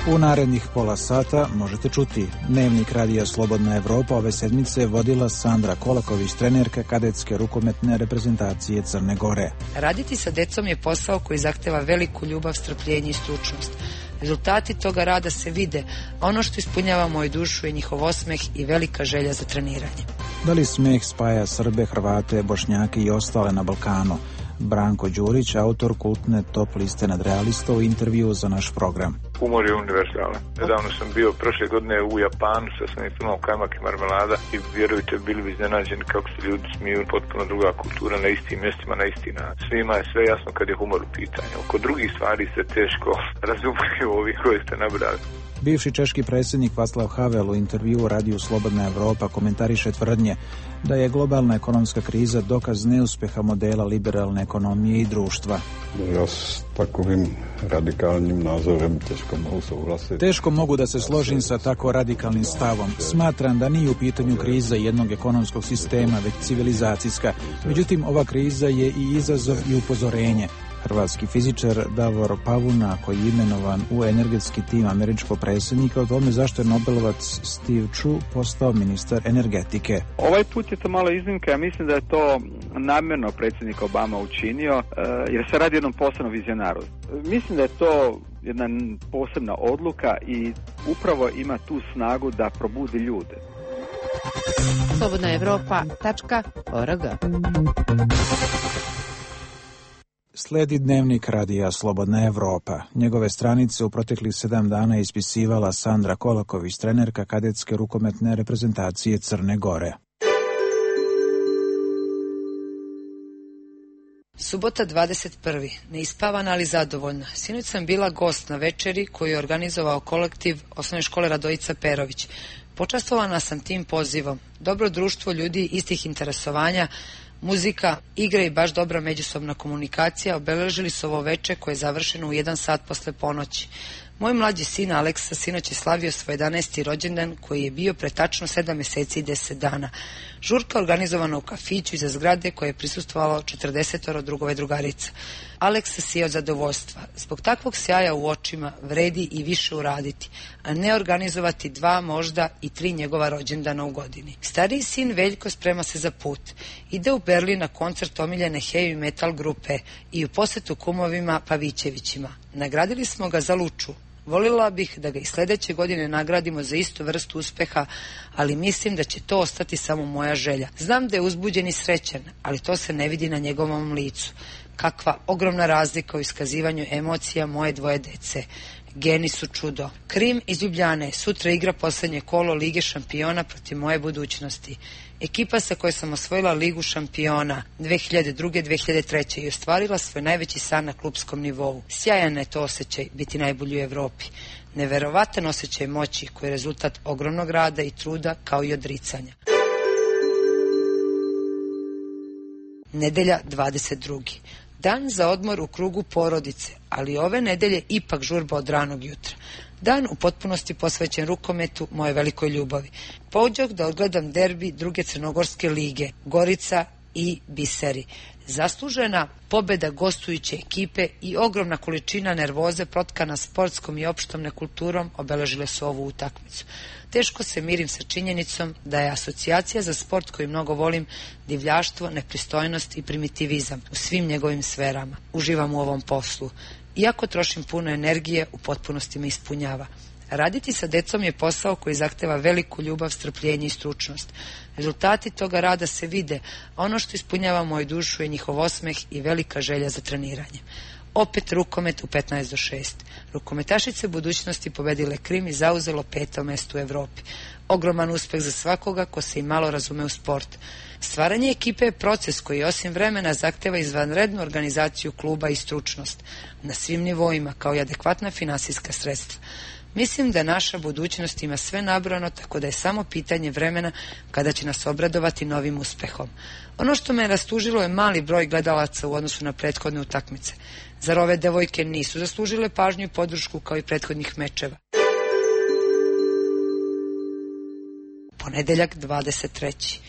U narednih pola sata možete čuti Dnevnik Radija Slobodna Evropa ove sedmice vodila Sandra Kolaković, trenerka kadetske rukometne reprezentacije Crne Gore. Raditi sa decom je posao koji zahteva veliku ljubav, strpljenje i stručnost. Rezultati toga rada se vide, a ono što ispunjava moju dušu je njihov osmeh i velika želja za treniranje. Da li smeh spaja Srbe, Hrvate, Bošnjake i ostale na Balkanu? Branko Đurić, autor kultne top liste nadrealista, u intervju za naš program. Humor je univerzalan. Nedavno sam bio prošle godine u Japanu sa svojim filmom Kajmak i marmelada i vjerujte, bili bi iznenađeni kako se ljudi smiju, potpuno druga kultura na istim mjestima, na isti način. Svima je sve jasno kad je humor u pitanju. Oko drugih stvari se teško razumiju ovi koji ste nabrali. Bivši češki predsjednik Václav Havel u intervju u Radiju Slobodna Evropa komentariše tvrdnje da je globalna ekonomska kriza dokaz neuspeha modela liberalne ekonomije i društva. Ja s takovim radikalnim nazorem teško mogu suglasiti. Teško mogu da se složim sa tako radikalnim stavom. Smatram da nije u pitanju kriza jednog ekonomskog sistema, već civilizacijska. Međutim, ova kriza je i izazov i upozorenje. Hrvatski fizičar Davor Pavuna, koji je imenovan u energetski tim američkog predsjednika, o tome zašto je Nobelovac Steve Chu postao ministar energetike. Ovaj put je to malo iznimka, ja mislim da je to namjerno predsjednik Obama učinio, jer se radi o jednom posebnom vizionaru. Mislim da je to jedna posebna odluka i upravo ima tu snagu da probudi ljude. slobodnaevropa.org. Sledi Dnevnik Radija Slobodna Evropa. Njegove stranice u proteklih 7 dana ispisivala Sandra Kolaković, trenerka kadetske rukometne reprezentacije Crne Gore. Subota 21. Neispavana, ali zadovoljna. Sinoć sam bila gost na večeri koju je organizovao kolektiv Osnovne škole Radojica Perović. Počastvovana sam tim pozivom. Dobro društvo ljudi istih interesovanja, muzika, igre i baš dobra međusobna komunikacija obeležili su ovo veče koje je završeno u 1 sat posle ponoći. Moj mlađi sin Aleksa sinoć je slavio svoj 11. rođendan koji je bio pre tačno 7 mjeseci i 10 dana. Žurka organizovana u kafiću iza zgrade koje je prisustvovalo 40 drugova i drugarica. Aleksa sije od zadovoljstva. Zbog takvog sjaja u očima vredi i više uraditi, a ne organizovati 2, možda i 3 njegova rođendana u godini. Stariji sin Veljko sprema se za put. Ide u Berlin na koncert omiljene heavy metal grupe i u posjetu kumovima Pavićevićima. Nagradili smo ga za Luču. Volila bih da ga i sljedeće godine nagradimo za istu vrstu uspeha, ali mislim da će to ostati samo moja želja. Znam da je uzbuđen i srećan, ali to se ne vidi na njegovom licu. Kakva ogromna razlika u iskazivanju emocija moje 2 dece. Geni su čudo. Krim iz Ljubljane sutra igra posljednje kolo Lige šampiona protiv moje budućnosti. Ekipa sa kojoj sam osvojila Ligu šampiona 2002-2003 i ostvarila svoj najveći san na klupskom nivou. Sjajan je to osjećaj biti najbolji u Evropi. Neverovatan osjećaj moći koji je rezultat ogromnog rada i truda kao i odricanja. Nedelja 22. Dan za odmor u krugu porodice, ali ove nedelje ipak žurba od ranog jutra. Dan u potpunosti posvećen rukometu, moje velikoj ljubavi. Pođoh da odgledam derbi druge crnogorske lige, Gorica i Biseri. Zaslužena pobeda gostujuće ekipe i ogromna količina nervoze protkana sportskom i opštom nekulturom obeležile su ovu utakmicu. Teško se mirim sa činjenicom da je asocijacija za sport koju mnogo volim divljaštvo, nepristojnost i primitivizam u svim njegovim sferama. Uživam u ovom poslu. Iako trošim puno energije, u potpunosti me ispunjava. Raditi sa decom je posao koji zahteva veliku ljubav, strpljenje i stručnost. Rezultati toga rada se vide, a ono što ispunjava moju dušu je njihov osmeh i velika želja za treniranje. Opet rukomet u 15:6. Rukometašice budućnosti pobedile Krim i zauzelo 5. mesto u Evropi. Ogroman uspeh za svakoga ko se i malo razume u sport. Stvaranje ekipe je proces koji osim vremena zahteva izvanrednu organizaciju kluba i stručnost na svim nivoima, kao i adekvatna finansijska sredstva. Mislim da naša budućnost ima sve nabrojano, tako da je samo pitanje vremena kada će nas obradovati novim uspehom. Ono što me rastužilo je mali broj gledalaca u odnosu na prethodne utakmice. Zar ove devojke nisu zaslužile pažnju i podršku kao i prethodnih mečeva? Ponedeljak 23.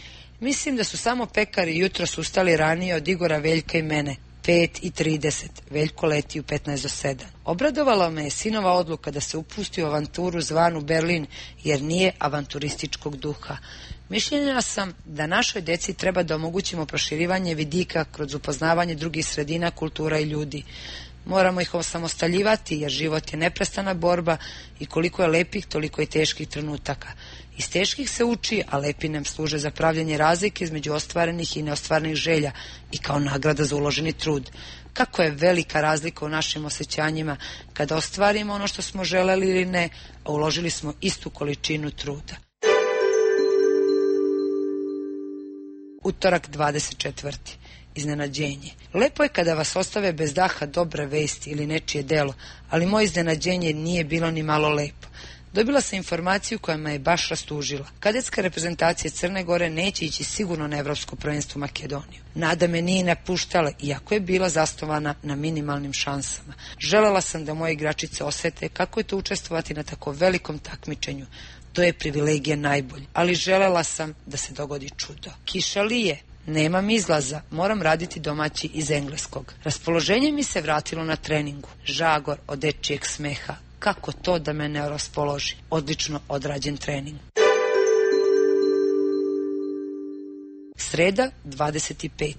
Mislim da su samo pekari jutros ustali ranije od Igora, Veljka i mene. 5:30. Veljko leti u 15:07. Obradovala me je sinova odluka da se upusti u avanturu zvanu Berlin, jer nije avanturističkog duha. Mišljenja sam da našoj deci treba da omogućimo proširivanje vidika kroz upoznavanje drugih sredina, kultura i ljudi. Moramo ih osamostaljivati, jer život je neprestana borba i koliko je lepih, toliko i teških trenutaka. Iz teških se uči, a lepi nam služe za pravljanje razlike između ostvarenih i neostvarenih želja i kao nagrada za uloženi trud. Kako je velika razlika u našim osjećanjima kada ostvarimo ono što smo želeli ili ne, a uložili smo istu količinu truda. Utorak 24. Iznenađenje. Lepo je kada vas ostave bez daha dobre vesti ili nečije delo, ali moje iznenađenje nije bilo ni malo lepo. Dobila sam informaciju koja me je baš rastužila. Kadetska reprezentacija Crne Gore neće ići sigurno na Evropsko prvenstvo u Makedoniju. Nada me nije napuštala, iako je bila zasnovana na minimalnim šansama. Želela sam da moje igračice osete kako je to učestvovati na tako velikom takmičenju. To je privilegija najbolje, ali želela sam da se dogodi čudo. Kiša lije. Nemam izlaza, moram raditi domaći iz engleskog. Raspoloženje mi se vratilo na treningu. Žagor od dečijeg smeha. Kako to da me ne raspoloži? Odlično odrađen trening. Sreda, 25.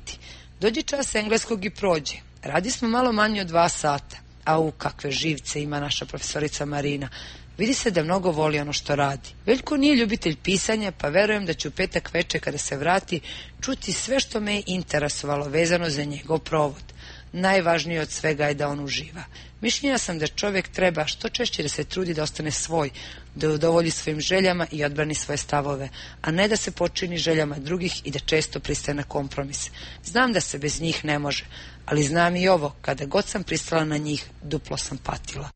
Dođe čas engleskog i prođe. Radi smo malo manje od 2 sata. Au, kakve živce ima naša profesorica Marina. Vidi se da mnogo voli ono što radi. Veljko nije ljubitelj pisanja, pa verujem da ću u petak veče kada se vrati čuti sve što me je interesovalo vezano za njegov provod. Najvažnije od svega je da on uživa. Mišljenja sam da čovjek treba što češće da se trudi da ostane svoj, da udovolji svojim željama i odbrani svoje stavove, a ne da se počini željama drugih i da često pristaje na kompromis. Znam da se bez njih ne može, ali znam i ovo, kada god sam pristala na njih, duplo sam patila.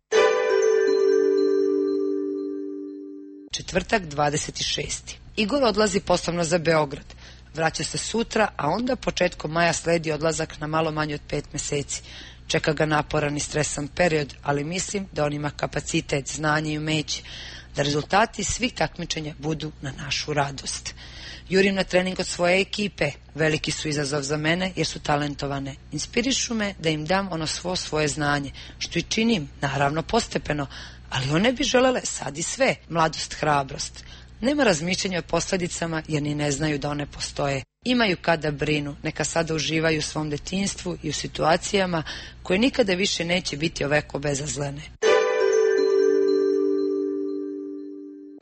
Četvrtak, 26. Igor odlazi poslovno za Beograd. Vraća se sutra, a onda početkom maja sledi odlazak na malo manje od 5 meseci. Čeka ga naporan i stresan period, ali mislim da on ima kapacitet, znanje i umeće, da rezultati svih takmičenja budu na našu radost. Jurim na trening od svoje ekipe. Veliki su izazov za mene jer su talentovane. Inspirišu me da im dam ono svoje znanje, što i činim, naravno postepeno, ali one bi želele sad i sve, mladost, hrabrost. Nema razmišljanja o posljedicama jer ni ne znaju da one postoje. Imaju kada brinu, neka sada uživaju u svom detinjstvu i u situacijama koje nikada više neće biti ovako bezazlene.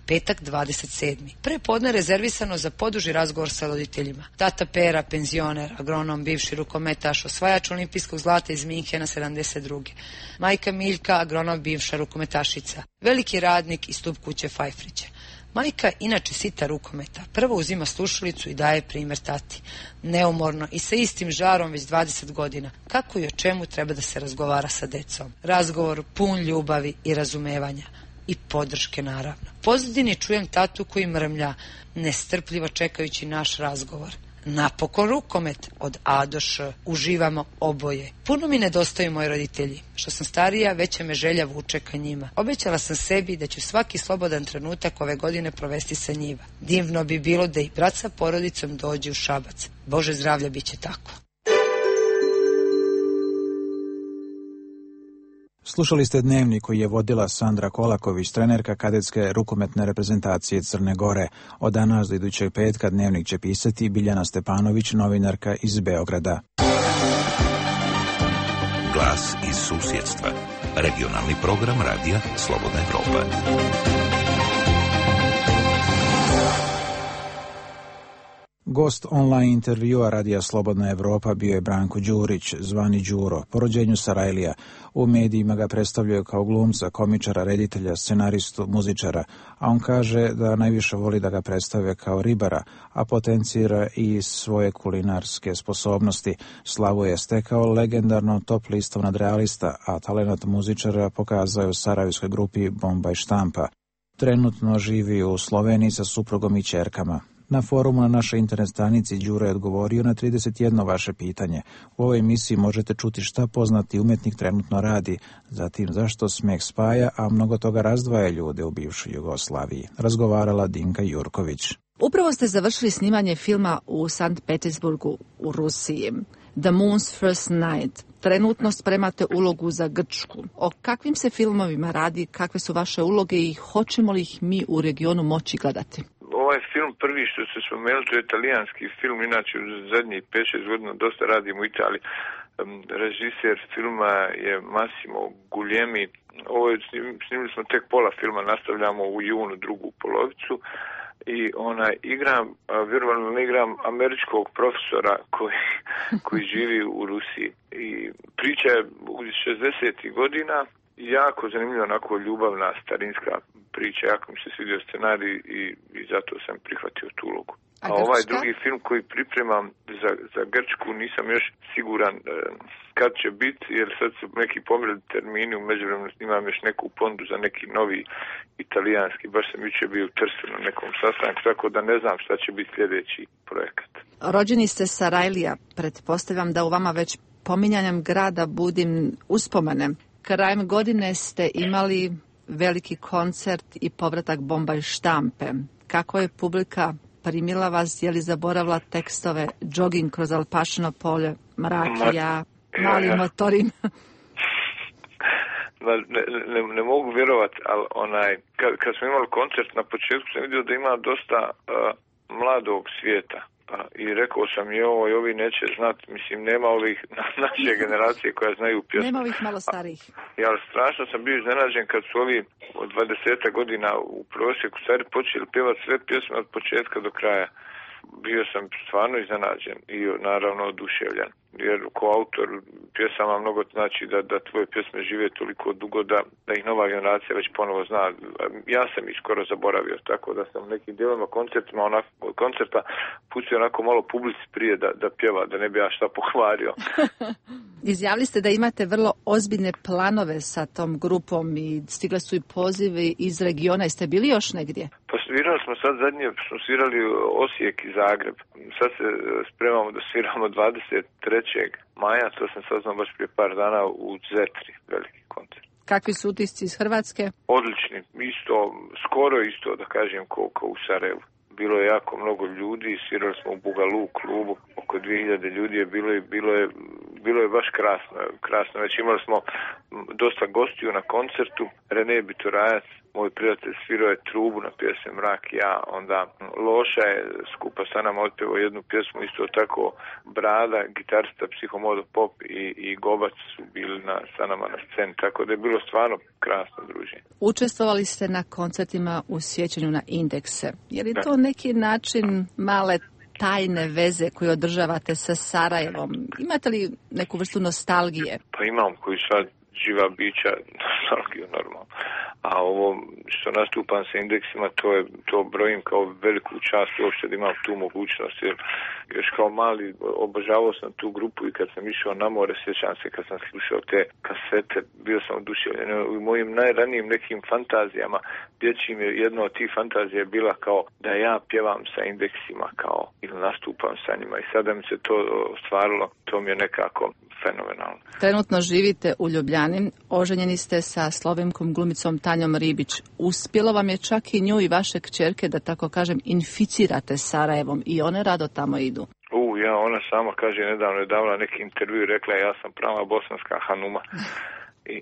Petak, 27. Prepodne rezervisano za poduži razgovor sa roditeljima. Tata Pera, penzioner, agronom, bivši rukometaš, osvajač olimpijskog zlata iz Minhena 72. Majka Miljka, agronom, bivša rukometašica. Veliki radnik i stup kuće Fajfrića. Majka, inače sita rukometa, prvo uzima slušalicu i daje primjer tati. Neumorno i sa istim žarom već 20 godina. Kako i o čemu treba da se razgovara sa decom? Razgovor pun ljubavi i razumevanja. I podrške, naravno. Pozadini čujem tatu koji mrmlja, nestrpljivo čekajući naš razgovor. Napokon rukomet od A do Š. Uživamo oboje. Puno mi nedostaju moji roditelji. Što sam starija, veća me želja vuče ka njima. Obećala sam sebi da ću svaki slobodan trenutak ove godine provesti sa njima. Divno bi bilo da i brat sa porodicom dođe u Šabac. Bože zdravlja, bit će tako. Slušali ste Dnevnik koji je vodila Sandra Kolaković, trenerka kadetske rukometne reprezentacije Crne Gore. Od danas do idućeg petka Dnevnik će pisati Biljana Stepanović, novinarka iz Beograda. Glas iz susjedstva. Regionalni program radija Slobodna Evropa. Gost online intervjua radija Slobodna Evropa bio je Branko Đurić, zvani Đuro, po rođenju Sarajlija. U medijima ga predstavljaju kao glumca, komičara, reditelja, scenaristu, muzičara, a on kaže da najviše voli da ga predstave kao ribara, a potencira i svoje kulinarske sposobnosti. Slavu je stekao legendarno top listom nadrealista, a talenat muzičara pokazao je u sarajevskoj grupi Bomba i štampa. Trenutno živi u Sloveniji sa suprugom i ćerkama. Na forumu na našoj internet stranici Đuro je odgovorio na 31 vaše pitanje. U ovoj emisiji možete čuti šta poznati umjetnik trenutno radi, zatim zašto smeh spaja, a mnogo toga razdvaja ljude u bivšoj Jugoslaviji. Razgovarala Dinka Jurković. Upravo ste završili snimanje filma u Sankt Petersburgu u Rusiji. The Moon's First Night. Trenutno spremate ulogu za Grčku. O kakvim se filmovima radi, kakve su vaše uloge i hoćemo li ih mi u regionu moći gledati? Ovaj film prvi što se spomenuli, to je italijanski film, inače u zadnjih 5-6 godina dosta radim u Italiji. Režiser filma je Massimo Guglielmi. Snimili smo tek pola filma, nastavljamo u junu drugu polovicu. I igram američkog profesora koji živi u Rusiji. I priča je u 60. godina, jako zanimljiva, onako ljubavna, starinska priča, jako mi se svidio scenarij i zato sam prihvatio tu ulogu. A ovaj drugi film koji pripremam za Grčku nisam još siguran kad će biti, jer sad su neki pomerili termini, u međuvremenu snimam još neku pondu za neki novi italijanski, baš sam jučer bio u Trstu na nekom sastanku, tako da ne znam šta će biti sljedeći projekat. Rođeni ste Sarajlija, pretpostavljam da u vama već pominjanjem grada budim uspomene. Krajem godine ste imali veliki koncert i povratak Bomba i štampe. Kako je publika primila vas, je li zaboravila tekstove Jogging kroz Alpašino polje, Mrak, ja, mali motorin? Ne mogu vjerovati, ali kad smo imali koncert na početku sam vidio da ima dosta mladog svijeta. I rekao sam ovi neće znati, mislim nema ovih naše generacije koja znaju pjesmu. Nema ovih malo starijih. Ja, strašno sam bio iznenađen kad su ovi od 20 godina u prosjeku stari počeli pjevati sve pjesme od početka do kraja. Bio sam stvarno iznenađen i naravno oduševljen. Jer ko autor pjesama mnogo znači da tvoje pjesme žive toliko dugo da ih nova generacija već ponovo zna. Ja sam ih skoro zaboravio, tako da sam nekim dijelovima koncerta pustio onako malo publici prije da pjeva, da ne bi ja šta pokvario. Izjavili ste da imate vrlo ozbiljne planove sa tom grupom i stigle su i pozivi iz regiona. Jeste bili još negdje? Pa svirali smo sad zadnje, smo svirali Osijek i Zagreb. Sad se spremamo da sviramo 23. maja, to sam saznao baš prije par dana u Zetri, veliki koncert. Kakvi su utisci iz Hrvatske? Odlični, skoro isto da kažem ko u Sarajevu. Bilo je jako mnogo ljudi, svirali smo u Bugalu klubu, oko 2000 ljudi je bilo je baš krasno. Već imali smo dosta gostiju na koncertu, Rene Bitorajac, moj prijatelj, svirao je trubu na pjesme Mrak, ja, onda Loša je skupa sa nama otpevao jednu pjesmu, isto tako Brada, gitarista Psihomodo Pop i Gobac su bili sa nama na sceni, tako da je bilo stvarno krasno druženje. Učestvovali ste na koncertima u sjećanju na Indekse. Je li to neki način male tajne veze koje održavate sa Sarajevom? Imate li neku vrstu nostalgije? Pa imam, koji sad živa bića, nostalgiju normalno. a ovo što nastupam sa indeksima, to brojim kao veliku čast uopšte da imam tu mogućnost, jer još kao mali obožavao sam tu grupu i kad sam išao na more, sjećam se kad sam slušao te kasete, bio sam oduševljen. U mojim najranijim nekim fantazijama dječjim je jedna od tih fantazija bila kao da ja pjevam sa indeksima kao ili nastupam sa njima i sada mi se to ostvarilo, to mi je nekako fenomenalno. Trenutno živite u Ljubljani, oženjeni ste sa slovenkom glumicom Tanjom Ribić. Uspjelo vam je čak i nju i vaše kćerke da tako kažem inficirate Sarajevom i one rado tamo idu. Ona sama kaže, nedavno je davala neki intervju i rekla ja sam prava bosanska hanuma. I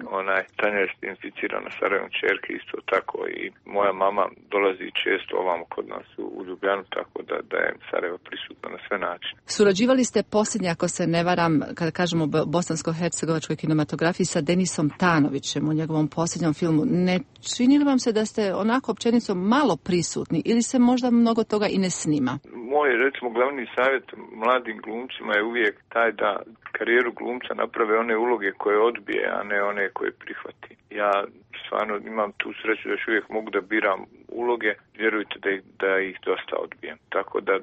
Tanja je inficirana Sarajevom čerke isto tako i moja mama dolazi često ovamo kod nas u Ljubljanu, tako da je Sarajevo prisutno na sve načine. Surađivali ste posljednje, ako se ne varam, kada kažemo o bosansko-hercegovačkoj kinematografiji, sa Denisom Tanovićem u njegovom posljednjom filmu. Ne čini li vam se da ste onako općenito malo prisutni ili se možda mnogo toga i ne snima? Moj, recimo, glavni savjet mladim glumcima je uvijek taj da karijeru glumca naprave one uloge koje odbije, a ne one koje prihvati. Ja stvarno imam tu sreću da još uvijek mogu da biram uloge, vjerujte da ih dosta odbijem. Tako da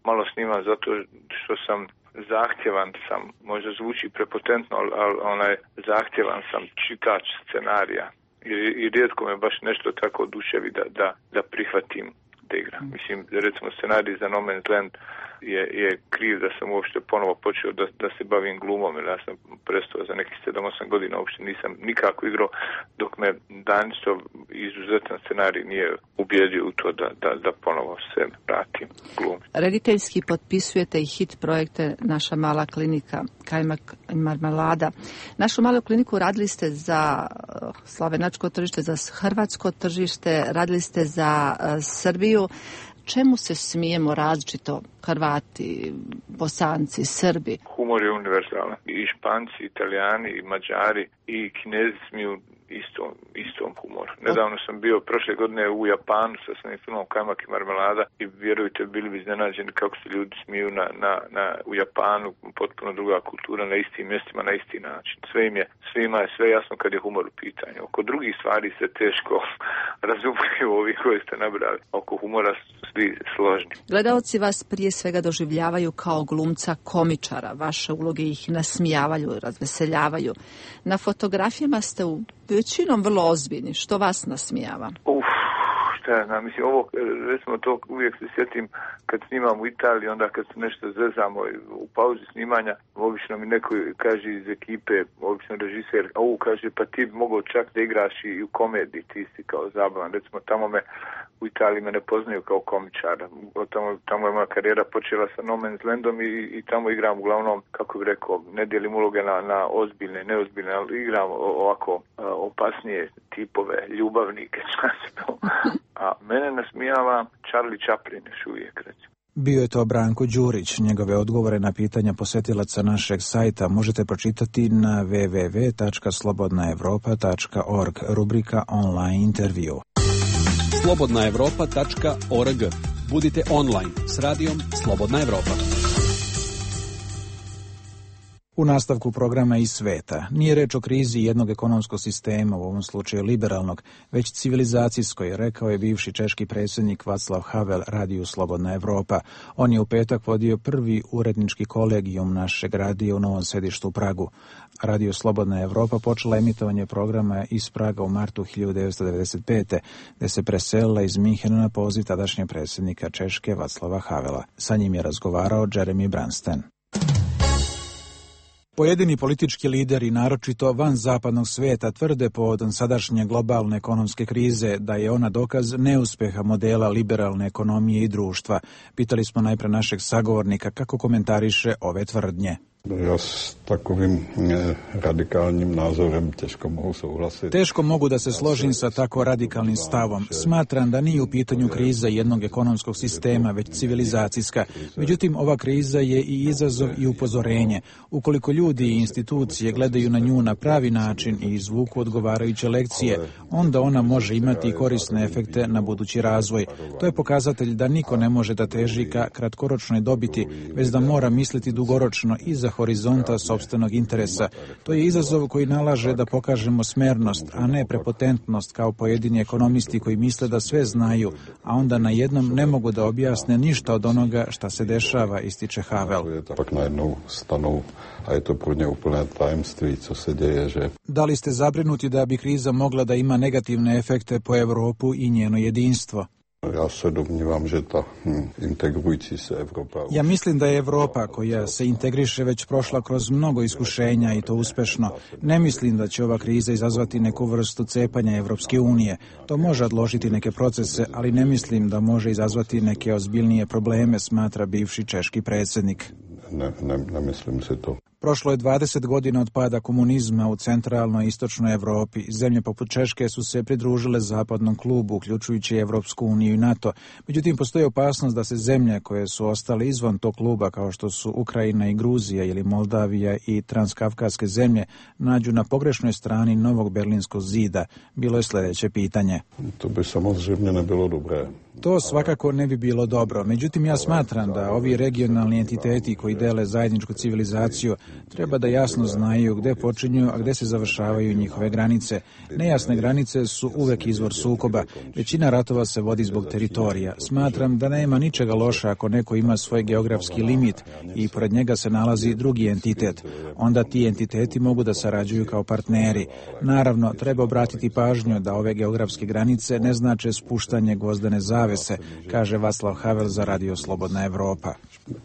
malo snimam zato što sam zahtjevan sam, možda zvuči prepotentno, ali zahtjevan sam čitač scenarija i rijetko me baš nešto tako oduševi da prihvatim da igram. Mislim, recimo scenarij za No Man's Land je kriv da sam uopšte ponovo počeo da se bavim glumom, jer ja sam prestao za nekih 7-8 godina, uopšte nisam nikako igrao, dok me Danisov izuzetan scenarij nije ubijedio u to da ponovo se vratim glum. Rediteljski potpisujete i hit projekte Naša mala klinika, Kajmak i marmelada. Našu malu kliniku radili ste za slovenačko tržište, za hrvatsko tržište, radili ste za Srbiju. Čemu se smijemo različito Hrvati, Bosanci, Srbi? Humor je univerzalan. I Španci, Italijani, i Mađari, i Kinezi smiju istom humoru. Nedavno sam bio prošle godine u Japanu sa svojim filmom Kajmak i marmelada i vjerujte, bili bi iznenađeni kako se ljudi smiju u Japanu, potpuno druga kultura, na istim mjestima, na isti način. Svima je sve jasno kad je humor u pitanju. Oko drugih stvari se teško razumiju ovi koji ste nabrali. Oko humora su svi složni. Gledaoci vas prije svega doživljavaju kao glumca komičara. Vaše uloge ih nasmijavaju, razveseljavaju. Na fotografijama ste većinom vrlo ozbiljni. Što vas nasmijava? Mislim, ovo, recimo to uvijek se sjetim kad snimam u Italiji, onda kad se nešto zezamo u pauzi snimanja, obično mi neko kaže iz ekipe, obično režiser, kaže, pa ti bi mogao čak da igraš i u komediji, ti si kao zabavan. Recimo, u Italiji me ne poznaju kao komičara. Tamo je moja karijera počela sa No Man's Landom i tamo igram uglavnom, kako bih rekao, ne dijelim uloge na ozbiljne i neozbiljne, ali igram ovako opasnije tipove, ljubavnike, a mene nasmijava Charlie Chaplin još uvijek, recimo. Bio je to Branko Đurić. Njegove odgovore na pitanja posjetilaca našeg sajta možete pročitati na www.slobodnaevropa.org, rubrika online intervju. slobodnaevropa.org. Budite online s radijom Slobodna Evropa. U nastavku programa iz sveta nije reč o krizi jednog ekonomskog sistema, u ovom slučaju liberalnog, već civilizacijskoj, rekao je bivši češki predsjednik Václav Havel radiju Slobodna Evropa. On je u petak vodio prvi urednički kolegijum našeg radija u novom sedištu u Pragu. Radio Slobodna Evropa počela emitovanje programa iz Praga u martu 1995. gdje se preselila iz Minhena na poziv tadašnjeg predsjednika Češke Václava Havela. Sa njim je razgovarao Jeremy Bransten. Pojedini politički lideri, naročito van zapadnog svijeta, tvrde povodom sadašnje globalne ekonomske krize da je ona dokaz neuspjeha modela liberalne ekonomije i društva. Pitali smo najprije našeg sagovornika kako komentariše ove tvrdnje. Ja s takovým radikalnim nazorem teško mogu souhlasiti. Teško mogu da se složim sa tako radikalnim stavom. Smatram da nije u pitanju kriza jednog ekonomskog sistema, već civilizacijska. Međutim, ova kriza je i izazov i upozorenje. Ukoliko ljudi i institucije gledaju na nju na pravi način i izvuku odgovarajuće lekcije, onda ona može imati korisne efekte na budući razvoj. To je pokazatelj da niko ne može da teži ka kratkoročnoj dobiti, već da mora misliti dugoročno i za horizonta sopstvenog interesa. To je izazov koji nalaže da pokažemo smernost, a ne prepotentnost kao pojedini ekonomisti koji misle da sve znaju, a onda na jednom ne mogu da objasne ništa od onoga šta se dešava, ističe Havel. Pak najednou stanou, a je to pro ně úplné tajemství, co se děje, že... Da li ste zabrinuti da bi kriza mogla da ima negativne efekte po Evropu i njeno jedinstvo? Ja se domnívam, že ta integrujući se Evropa... Ja mislim da je Evropa koja se integriše već prošla kroz mnogo iskušenja i to uspešno. Ne mislim da će ova kriza izazvati neku vrstu cepanja Evropske unije. To može odložiti neke procese, ali ne mislim da može izazvati neke ozbiljnije probleme, smatra bivši češki predsjednik. Ne mislim se to. Prošlo je 20 godina od pada komunizma u centralnoj i istočnoj Evropi. Zemlje poput Češke su se pridružile zapadnom klubu, uključujući Evropsku uniju i NATO. Međutim, postoji opasnost da se zemlje koje su ostale izvan tog kluba, kao što su Ukrajina i Gruzija ili Moldavija i transkavkaske zemlje, nađu na pogrešnoj strani novog berlinskog zida. Bilo je sljedeće pitanje. To bi samozrejme ne bilo dobre. To svakako ne bi bilo dobro. Međutim, ja smatram da ovi regionalni entiteti koji dele zajedničku civilizaciju treba da jasno znaju gde počinju, a gde se završavaju njihove granice. Nejasne granice su uvek izvor sukoba. Većina ratova se vodi zbog teritorija. Smatram da nema ničega loša ako neko ima svoj geografski limit i pored njega se nalazi drugi entitet. Onda ti entiteti mogu da sarađuju kao partneri. Naravno, treba obratiti pažnju da ove geografske granice ne znače spuštanje gvozdene zavese, kaže Václav Havel za Radio Slobodna Evropa.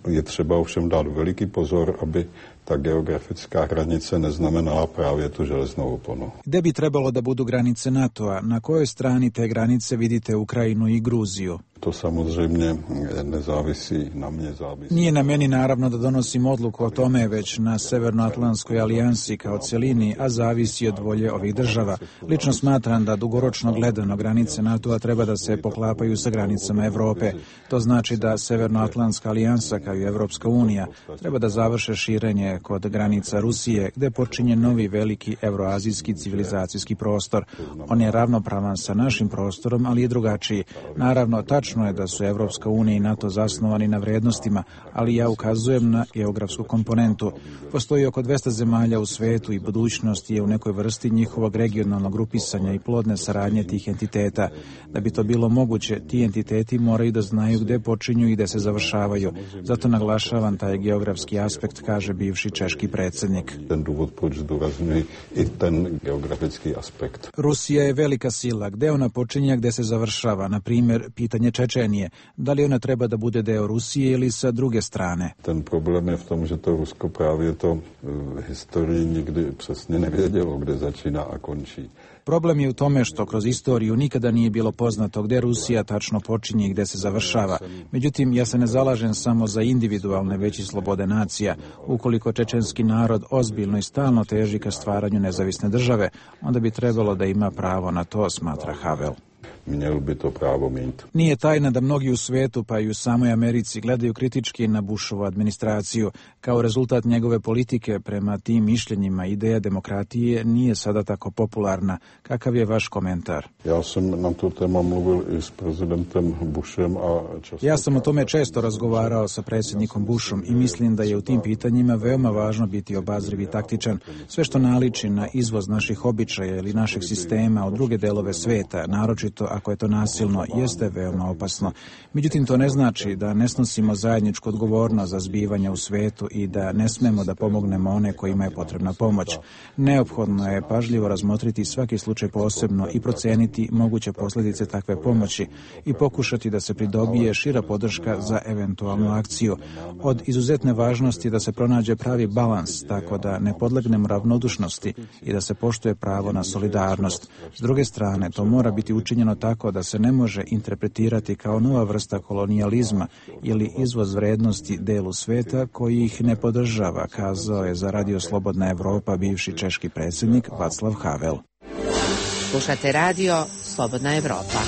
Je treba ovšem dát veliki pozor, aby ta geografická hranice neznamenala právě tu železnou oponu. Gde bi trebalo da budu granice NATO-a? Na kojoj strani te granice vidite Ukrajinu i Gruziju? To samozřejmě nezávisí na mně, závisí. Nije na meni naravno da donosim odluku o tome, već na Severnoatlantskoj alijansi kao celini, a zavisi od volje ovih država. Lično smatram da dugoročno gledano granice NATO-a treba da se poklapaju sa granicama Evrope. To znači da Severnoatlantska alijansa kao i Evropska unija treba da završe širenje kod granica Rusije, gde počinje novi veliki evroazijski civilizacijski prostor. On je ravnopravan sa našim prostorom, ali je drugačiji. Naravno, tačno je da su Evropska unija i NATO zasnovani na vrednostima, ali ja ukazujem na geografsku komponentu. Postoji oko 200 zemalja u svetu i budućnost je u nekoj vrsti njihovog regionalnog grupisanja i plodne saradnje tih entiteta. Da bi to bilo moguće, ti entiteti moraju da znaju gde počinju i gde se završavaju. Zato naglašavam taj geografski aspekt, kaže bivši češki predsjednik. Ten důvod, proč zdůrazňuji i ten geografický aspekt. Rusija je velika sila. Gde ona počinje, gde se završava? Na primjer, pitanje Čečenije. Da li ona treba da bude deo Rusije ili sa druge strane? Ten problém je v tom, že to Rusko právě to v historii nikdy přesně nevědělo, kde začíná a končí. Problem je u tome što kroz istoriju nikada nije bilo poznato gde Rusija tačno počinje i gde se završava. Međutim, ja se ne zalažem samo za individualne, već i slobode nacija. Ukoliko čečenski narod ozbiljno i stalno teži ka stvaranju nezavisne države, onda bi trebalo da ima pravo na to, smatra Havel. Měl by to pravo mít. Nije tajna da mnogi u svetu, pa i u samoj Americi, gledaju kritički na Bushovu administraciju. Kao rezultat njegove politike prema tim mišljenjima ideja demokratije nije sada tako popularna. Kakav je vaš komentar? Ja sam na tu temu mluvil i s prezidentom Bushem. Ja sam o tome često razgovarao sa predsjednikom Bushom i mislim da je u tim pitanjima veoma važno biti obazriv i taktičan. Sve što naliči na izvoz naših običaja ili našeg sistema u druge delove sveta, naročito ako je to nasilno, jeste veoma opasno. Međutim, to ne znači da ne snosimo zajedničku odgovornost za zbivanja u svetu i da ne smemo da pomognemo one kojima je potrebna pomoć. Neophodno je pažljivo razmotriti svaki slučaj posebno i proceniti moguće posljedice takve pomoći i pokušati da se pridobije šira podrška za eventualnu akciju. Od izuzetne važnosti da se pronađe pravi balans, tako da ne podlegnemo ravnodušnosti i da se poštuje pravo na solidarnost. S druge strane, to mora biti učinjeno tako da se ne može interpretirati kao nova vrsta kolonijalizma ili izvoz vrednosti delu sveta koji ih ne podržava, kazao je za Radio Slobodna Evropa bivši češki predsjednik Václav Havel. Slušate Radio Slobodna Evropa.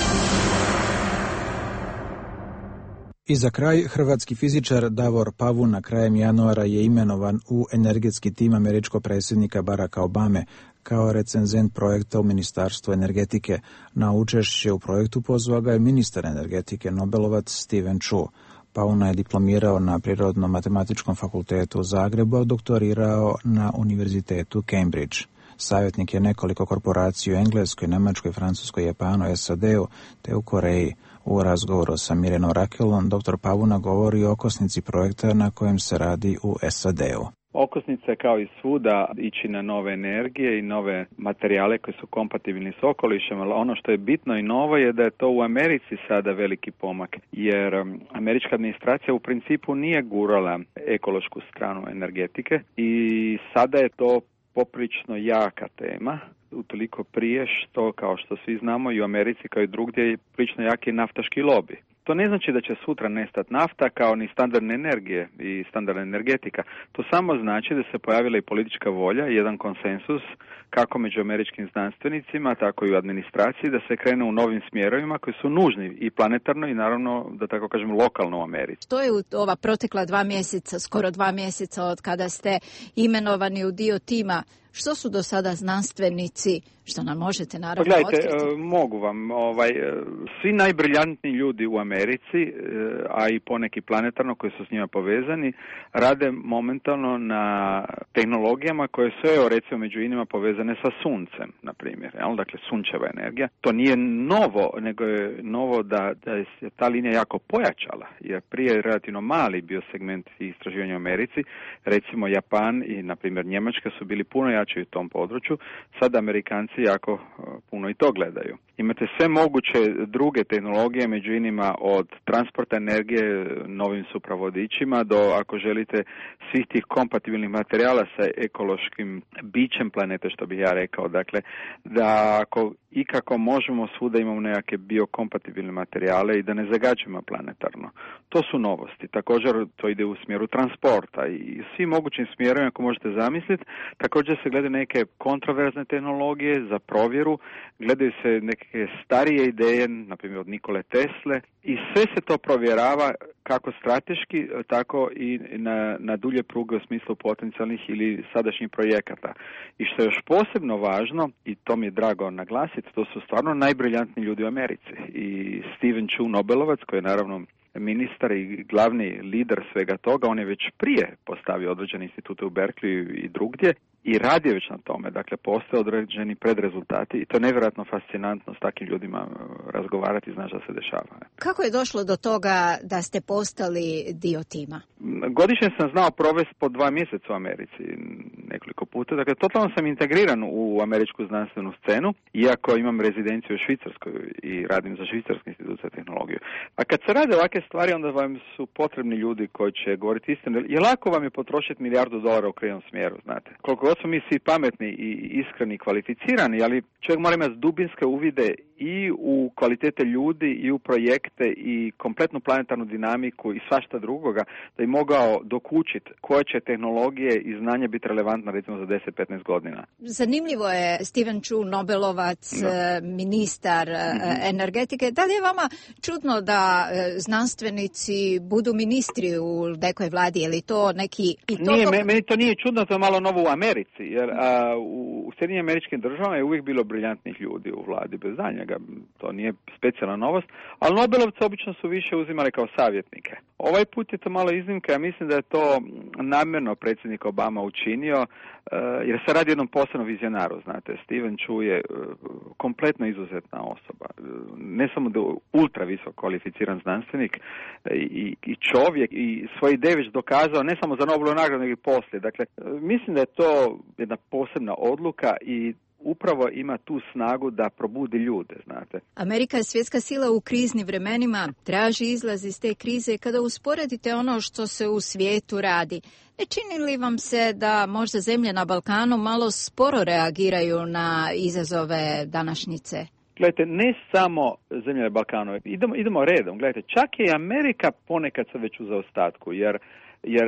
I za kraj, hrvatski fizičar Davor Pavuna krajem januara je imenovan u energetski tim američkog predsjednika Baracka Obame kao recenzent projekta u Ministarstvu energetike. Na učešće u projektu pozvao ga je ministar energetike, Nobelovac Steven Chu. Pauna je diplomirao na Prirodno-matematičkom fakultetu u Zagrebu, a doktorirao na Univerzitetu Cambridge. Savjetnik je nekoliko korporacija u Engleskoj, Njemačkoj, Francuskoj, Japanu, SAD-u te u Koreji. U razgovoru sa Mirjanom Rakelom, dr. Pauna govori o okosnici projekta na kojem se radi u SAD-u. Okosnica je kao i svuda ići na nove energije i nove materijale koji su kompatibilni s okolišem, ali ono što je bitno i novo je da je to u Americi sada veliki pomak, jer američka administracija u principu nije gurala ekološku stranu energetike i sada je to poprilično jaka tema, utoliko prije što, kao što svi znamo, i u Americi kao i drugdje je prilično jaki naftaški lobby. To ne znači da će sutra nestati nafta kao ni standardne energije i standardna energetika. To samo znači da se pojavila i politička volja i jedan konsensus kako među američkim znanstvenicima, tako i u administraciji, da se krene u novim smjerovima koji su nužni i planetarno i naravno, da tako kažem, lokalno u Americi. To je ova protekla 2 mjeseca, skoro 2 mjeseca od kada ste imenovani u dio tima. Što su do sada znanstvenici, što nam možete naravno otkriti? Mogu vam. Svi najbriljantniji ljudi u Americi, a i poneki planetarno koji su s njima povezani, rade momentalno na tehnologijama koje su, recimo, među inima povezane sa suncem, na primjer. Dakle, sunčeva energija. To nije novo, nego je novo da je ta linija jako pojačala, jer prije je relativno mali bio segment istraživanja u Americi. Recimo, Japan i, na primjer, Njemačka su bili puno jači u tom području. Sada Amerikanci jako puno i to gledaju. Imate sve moguće druge tehnologije, među inima od transporta energije novim supravodičima do, ako želite, svih tih kompatibilnih materijala sa ekološkim bićem planete, što bih ja rekao. Dakle, da ako ikako možemo svuda imamo nekakve biokompatibilne materijale i da ne zagađujemo planetarno. To su novosti. Također to ide u smjeru transporta i svim mogućim smjerovima ako možete zamisliti. Također se gledaju neke kontroverzne tehnologije za provjeru, gledaju se neke starije ideje, na primjer od Nikole Tesle, i sve se to provjerava kako strateški, tako i na dulje pruge u smislu potencijalnih ili sadašnjih projekata. I što je još posebno važno, i to mi je drago naglasiti, to su stvarno najbriljantniji ljudi u Americi. I Steven Chu, Nobelovac, koji je naravno ministar i glavni lider svega toga, on je već prije postavio određene institute u Berkeley i drugdje i radi već na tome. Dakle, postoje određeni predrezultati i to je nevjerojatno fascinantno s takvim ljudima razgovarati i znaš da se dešava. Kako je došlo do toga da ste postali dio tima? Godišnje sam znao provesti po 2 mjeseca u Americi nekoliko puta. Dakle, totalno sam integriran u američku znanstvenu scenu, iako imam rezidenciju u Švicarskoj i radim za Švicarski institut za tehnologiju. A kad se rade ovakve stvari, onda vam su potrebni ljudi koji će govoriti istinu. Je lako vam je potrošiti $1 milijardu u krivom smjeru, znate. Koliko god smo mi svi pametni i iskreni i kvalificirani, ali čovjek mora imati dubinske uvide i u kvalitete ljudi i u projekte i kompletnu planetarnu dinamiku i svašta drugoga, da bi mogao dokučiti koje će tehnologije i znanje biti relevantna recimo za 10-15 godina. Zanimljivo je Steven Chu, Nobelovac, ministar energetike. Da li je vama čudno da znanstvenici budu ministri u nekoj vladi? Je li to neki... Meni to nije čudno, to je malo novo u Americi, jer u Sjedinjenim Američkim Državama je uvijek bilo briljantnih ljudi u vladi, bez daljnjega. To nije specijalna novost, ali Nobelovci obično su više uzimali kao savjetnike. Ovaj put je to malo iznimka, ja mislim da je to namjerno predsjednik Obama učinio, jer se radi o jednom posebnom vizionaru, znate. Steven Chu je kompletno izuzetna osoba, ne samo da je ultra visoko kvalificiran znanstvenik i čovjek i svoje ideje već dokazao, ne samo za Nobelovu nagradu, nego i poslije. Dakle, mislim da je to jedna posebna odluka i upravo ima tu snagu da probudi ljude, znate. Amerika je svjetska sila u kriznim vremenima, traži izlaz iz te krize. Kada usporedite ono što se u svijetu radi, ne čini li vam se da možda zemlje na Balkanu malo sporo reagiraju na izazove današnjice? Gledajte, ne samo zemlje na Balkanu, idemo redom. Gledajte, čak i Amerika ponekad se već u zaostatku, jer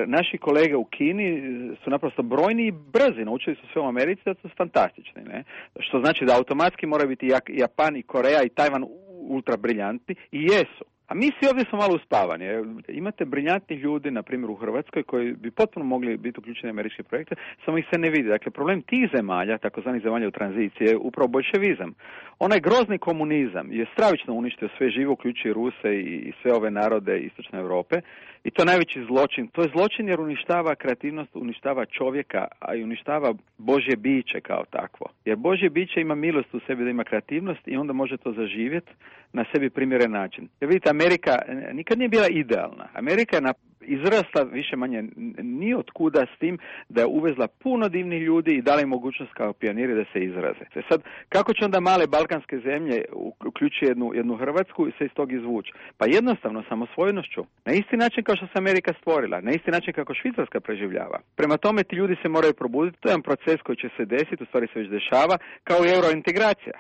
naši kolege u Kini su naprosto brojni i brzi, naučili su sve u Americi da su fantastični, ne? Što znači da automatski mora biti Japan i Koreja i Tajvan ultra briljantni i jesu. A mi svi ovdje smo malo uspavani. Imate briljantnih ljudi, na primjer u Hrvatskoj, koji bi potpuno mogli biti uključeni u američke projekte, samo ih se ne vidi. Dakle, problem tih zemalja, takozvanih zemalja u tranziciji, je upravo boljševizam. Onaj grozni komunizam je stravično uništio sve živo, uključujući Ruse i sve ove narode Istočne Europe. I to je najveći zločin. To je zločin jer uništava kreativnost, uništava čovjeka, a i uništava Božje biće kao takvo. Jer Božje biće ima milost u sebi da ima kreativnost i onda može to zaživjeti na sebi primjeren način. Jer vidite, Amerika nikad nije bila idealna. Amerika je izrasla više manje ni od kuda s tim da je uvezla puno divnih ljudi i dala im mogućnost kao pioniri da se izraze. Sad, kako će onda male balkanske zemlje, uključujući jednu Hrvatsku, se iz tog izvući? Pa jednostavno, samosvojnošću. Na isti način kao što se Amerika stvorila, na isti način kako Švicarska preživljava. Prema tome, ti ljudi se moraju probuditi. To je jedan proces koji će se desiti, u stvari se već dešava, kao i eurointegracija.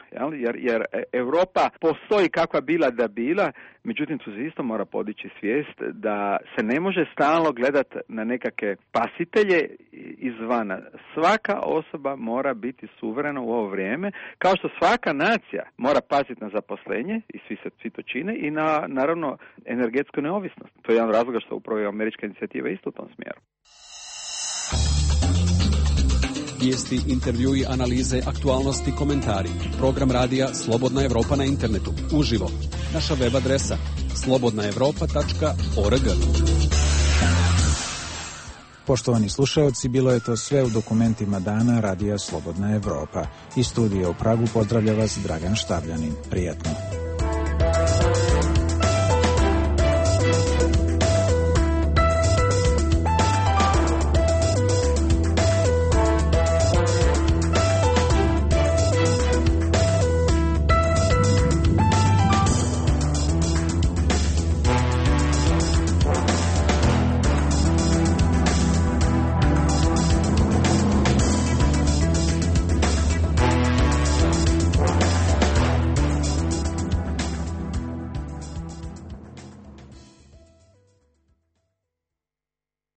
Jer Europa postoji kakva bila da bila, međutim tu se isto mora podići svijest da se ne može stalno gledati na nekakve pasitelje izvana. Svaka osoba mora biti suverena u ovo vrijeme, kao što svaka nacija mora paziti na zaposlenje, i svi to čine, i na, naravno, energetsku neovisnost. To je jedan razlog što upravo američka inicijativa isto u tom smjeru. Vijesti, intervjui, analize, aktualnosti, komentari. Program radija Slobodna Evropa na internetu. Uživo. Naša web adresa slobodnaevropa.org. Poštovani slušaoci, bilo je to sve u dokumentima dana radija Slobodna Evropa. Iz studija u Pragu pozdravlja vas Dragan Štavljanin. Prijetno.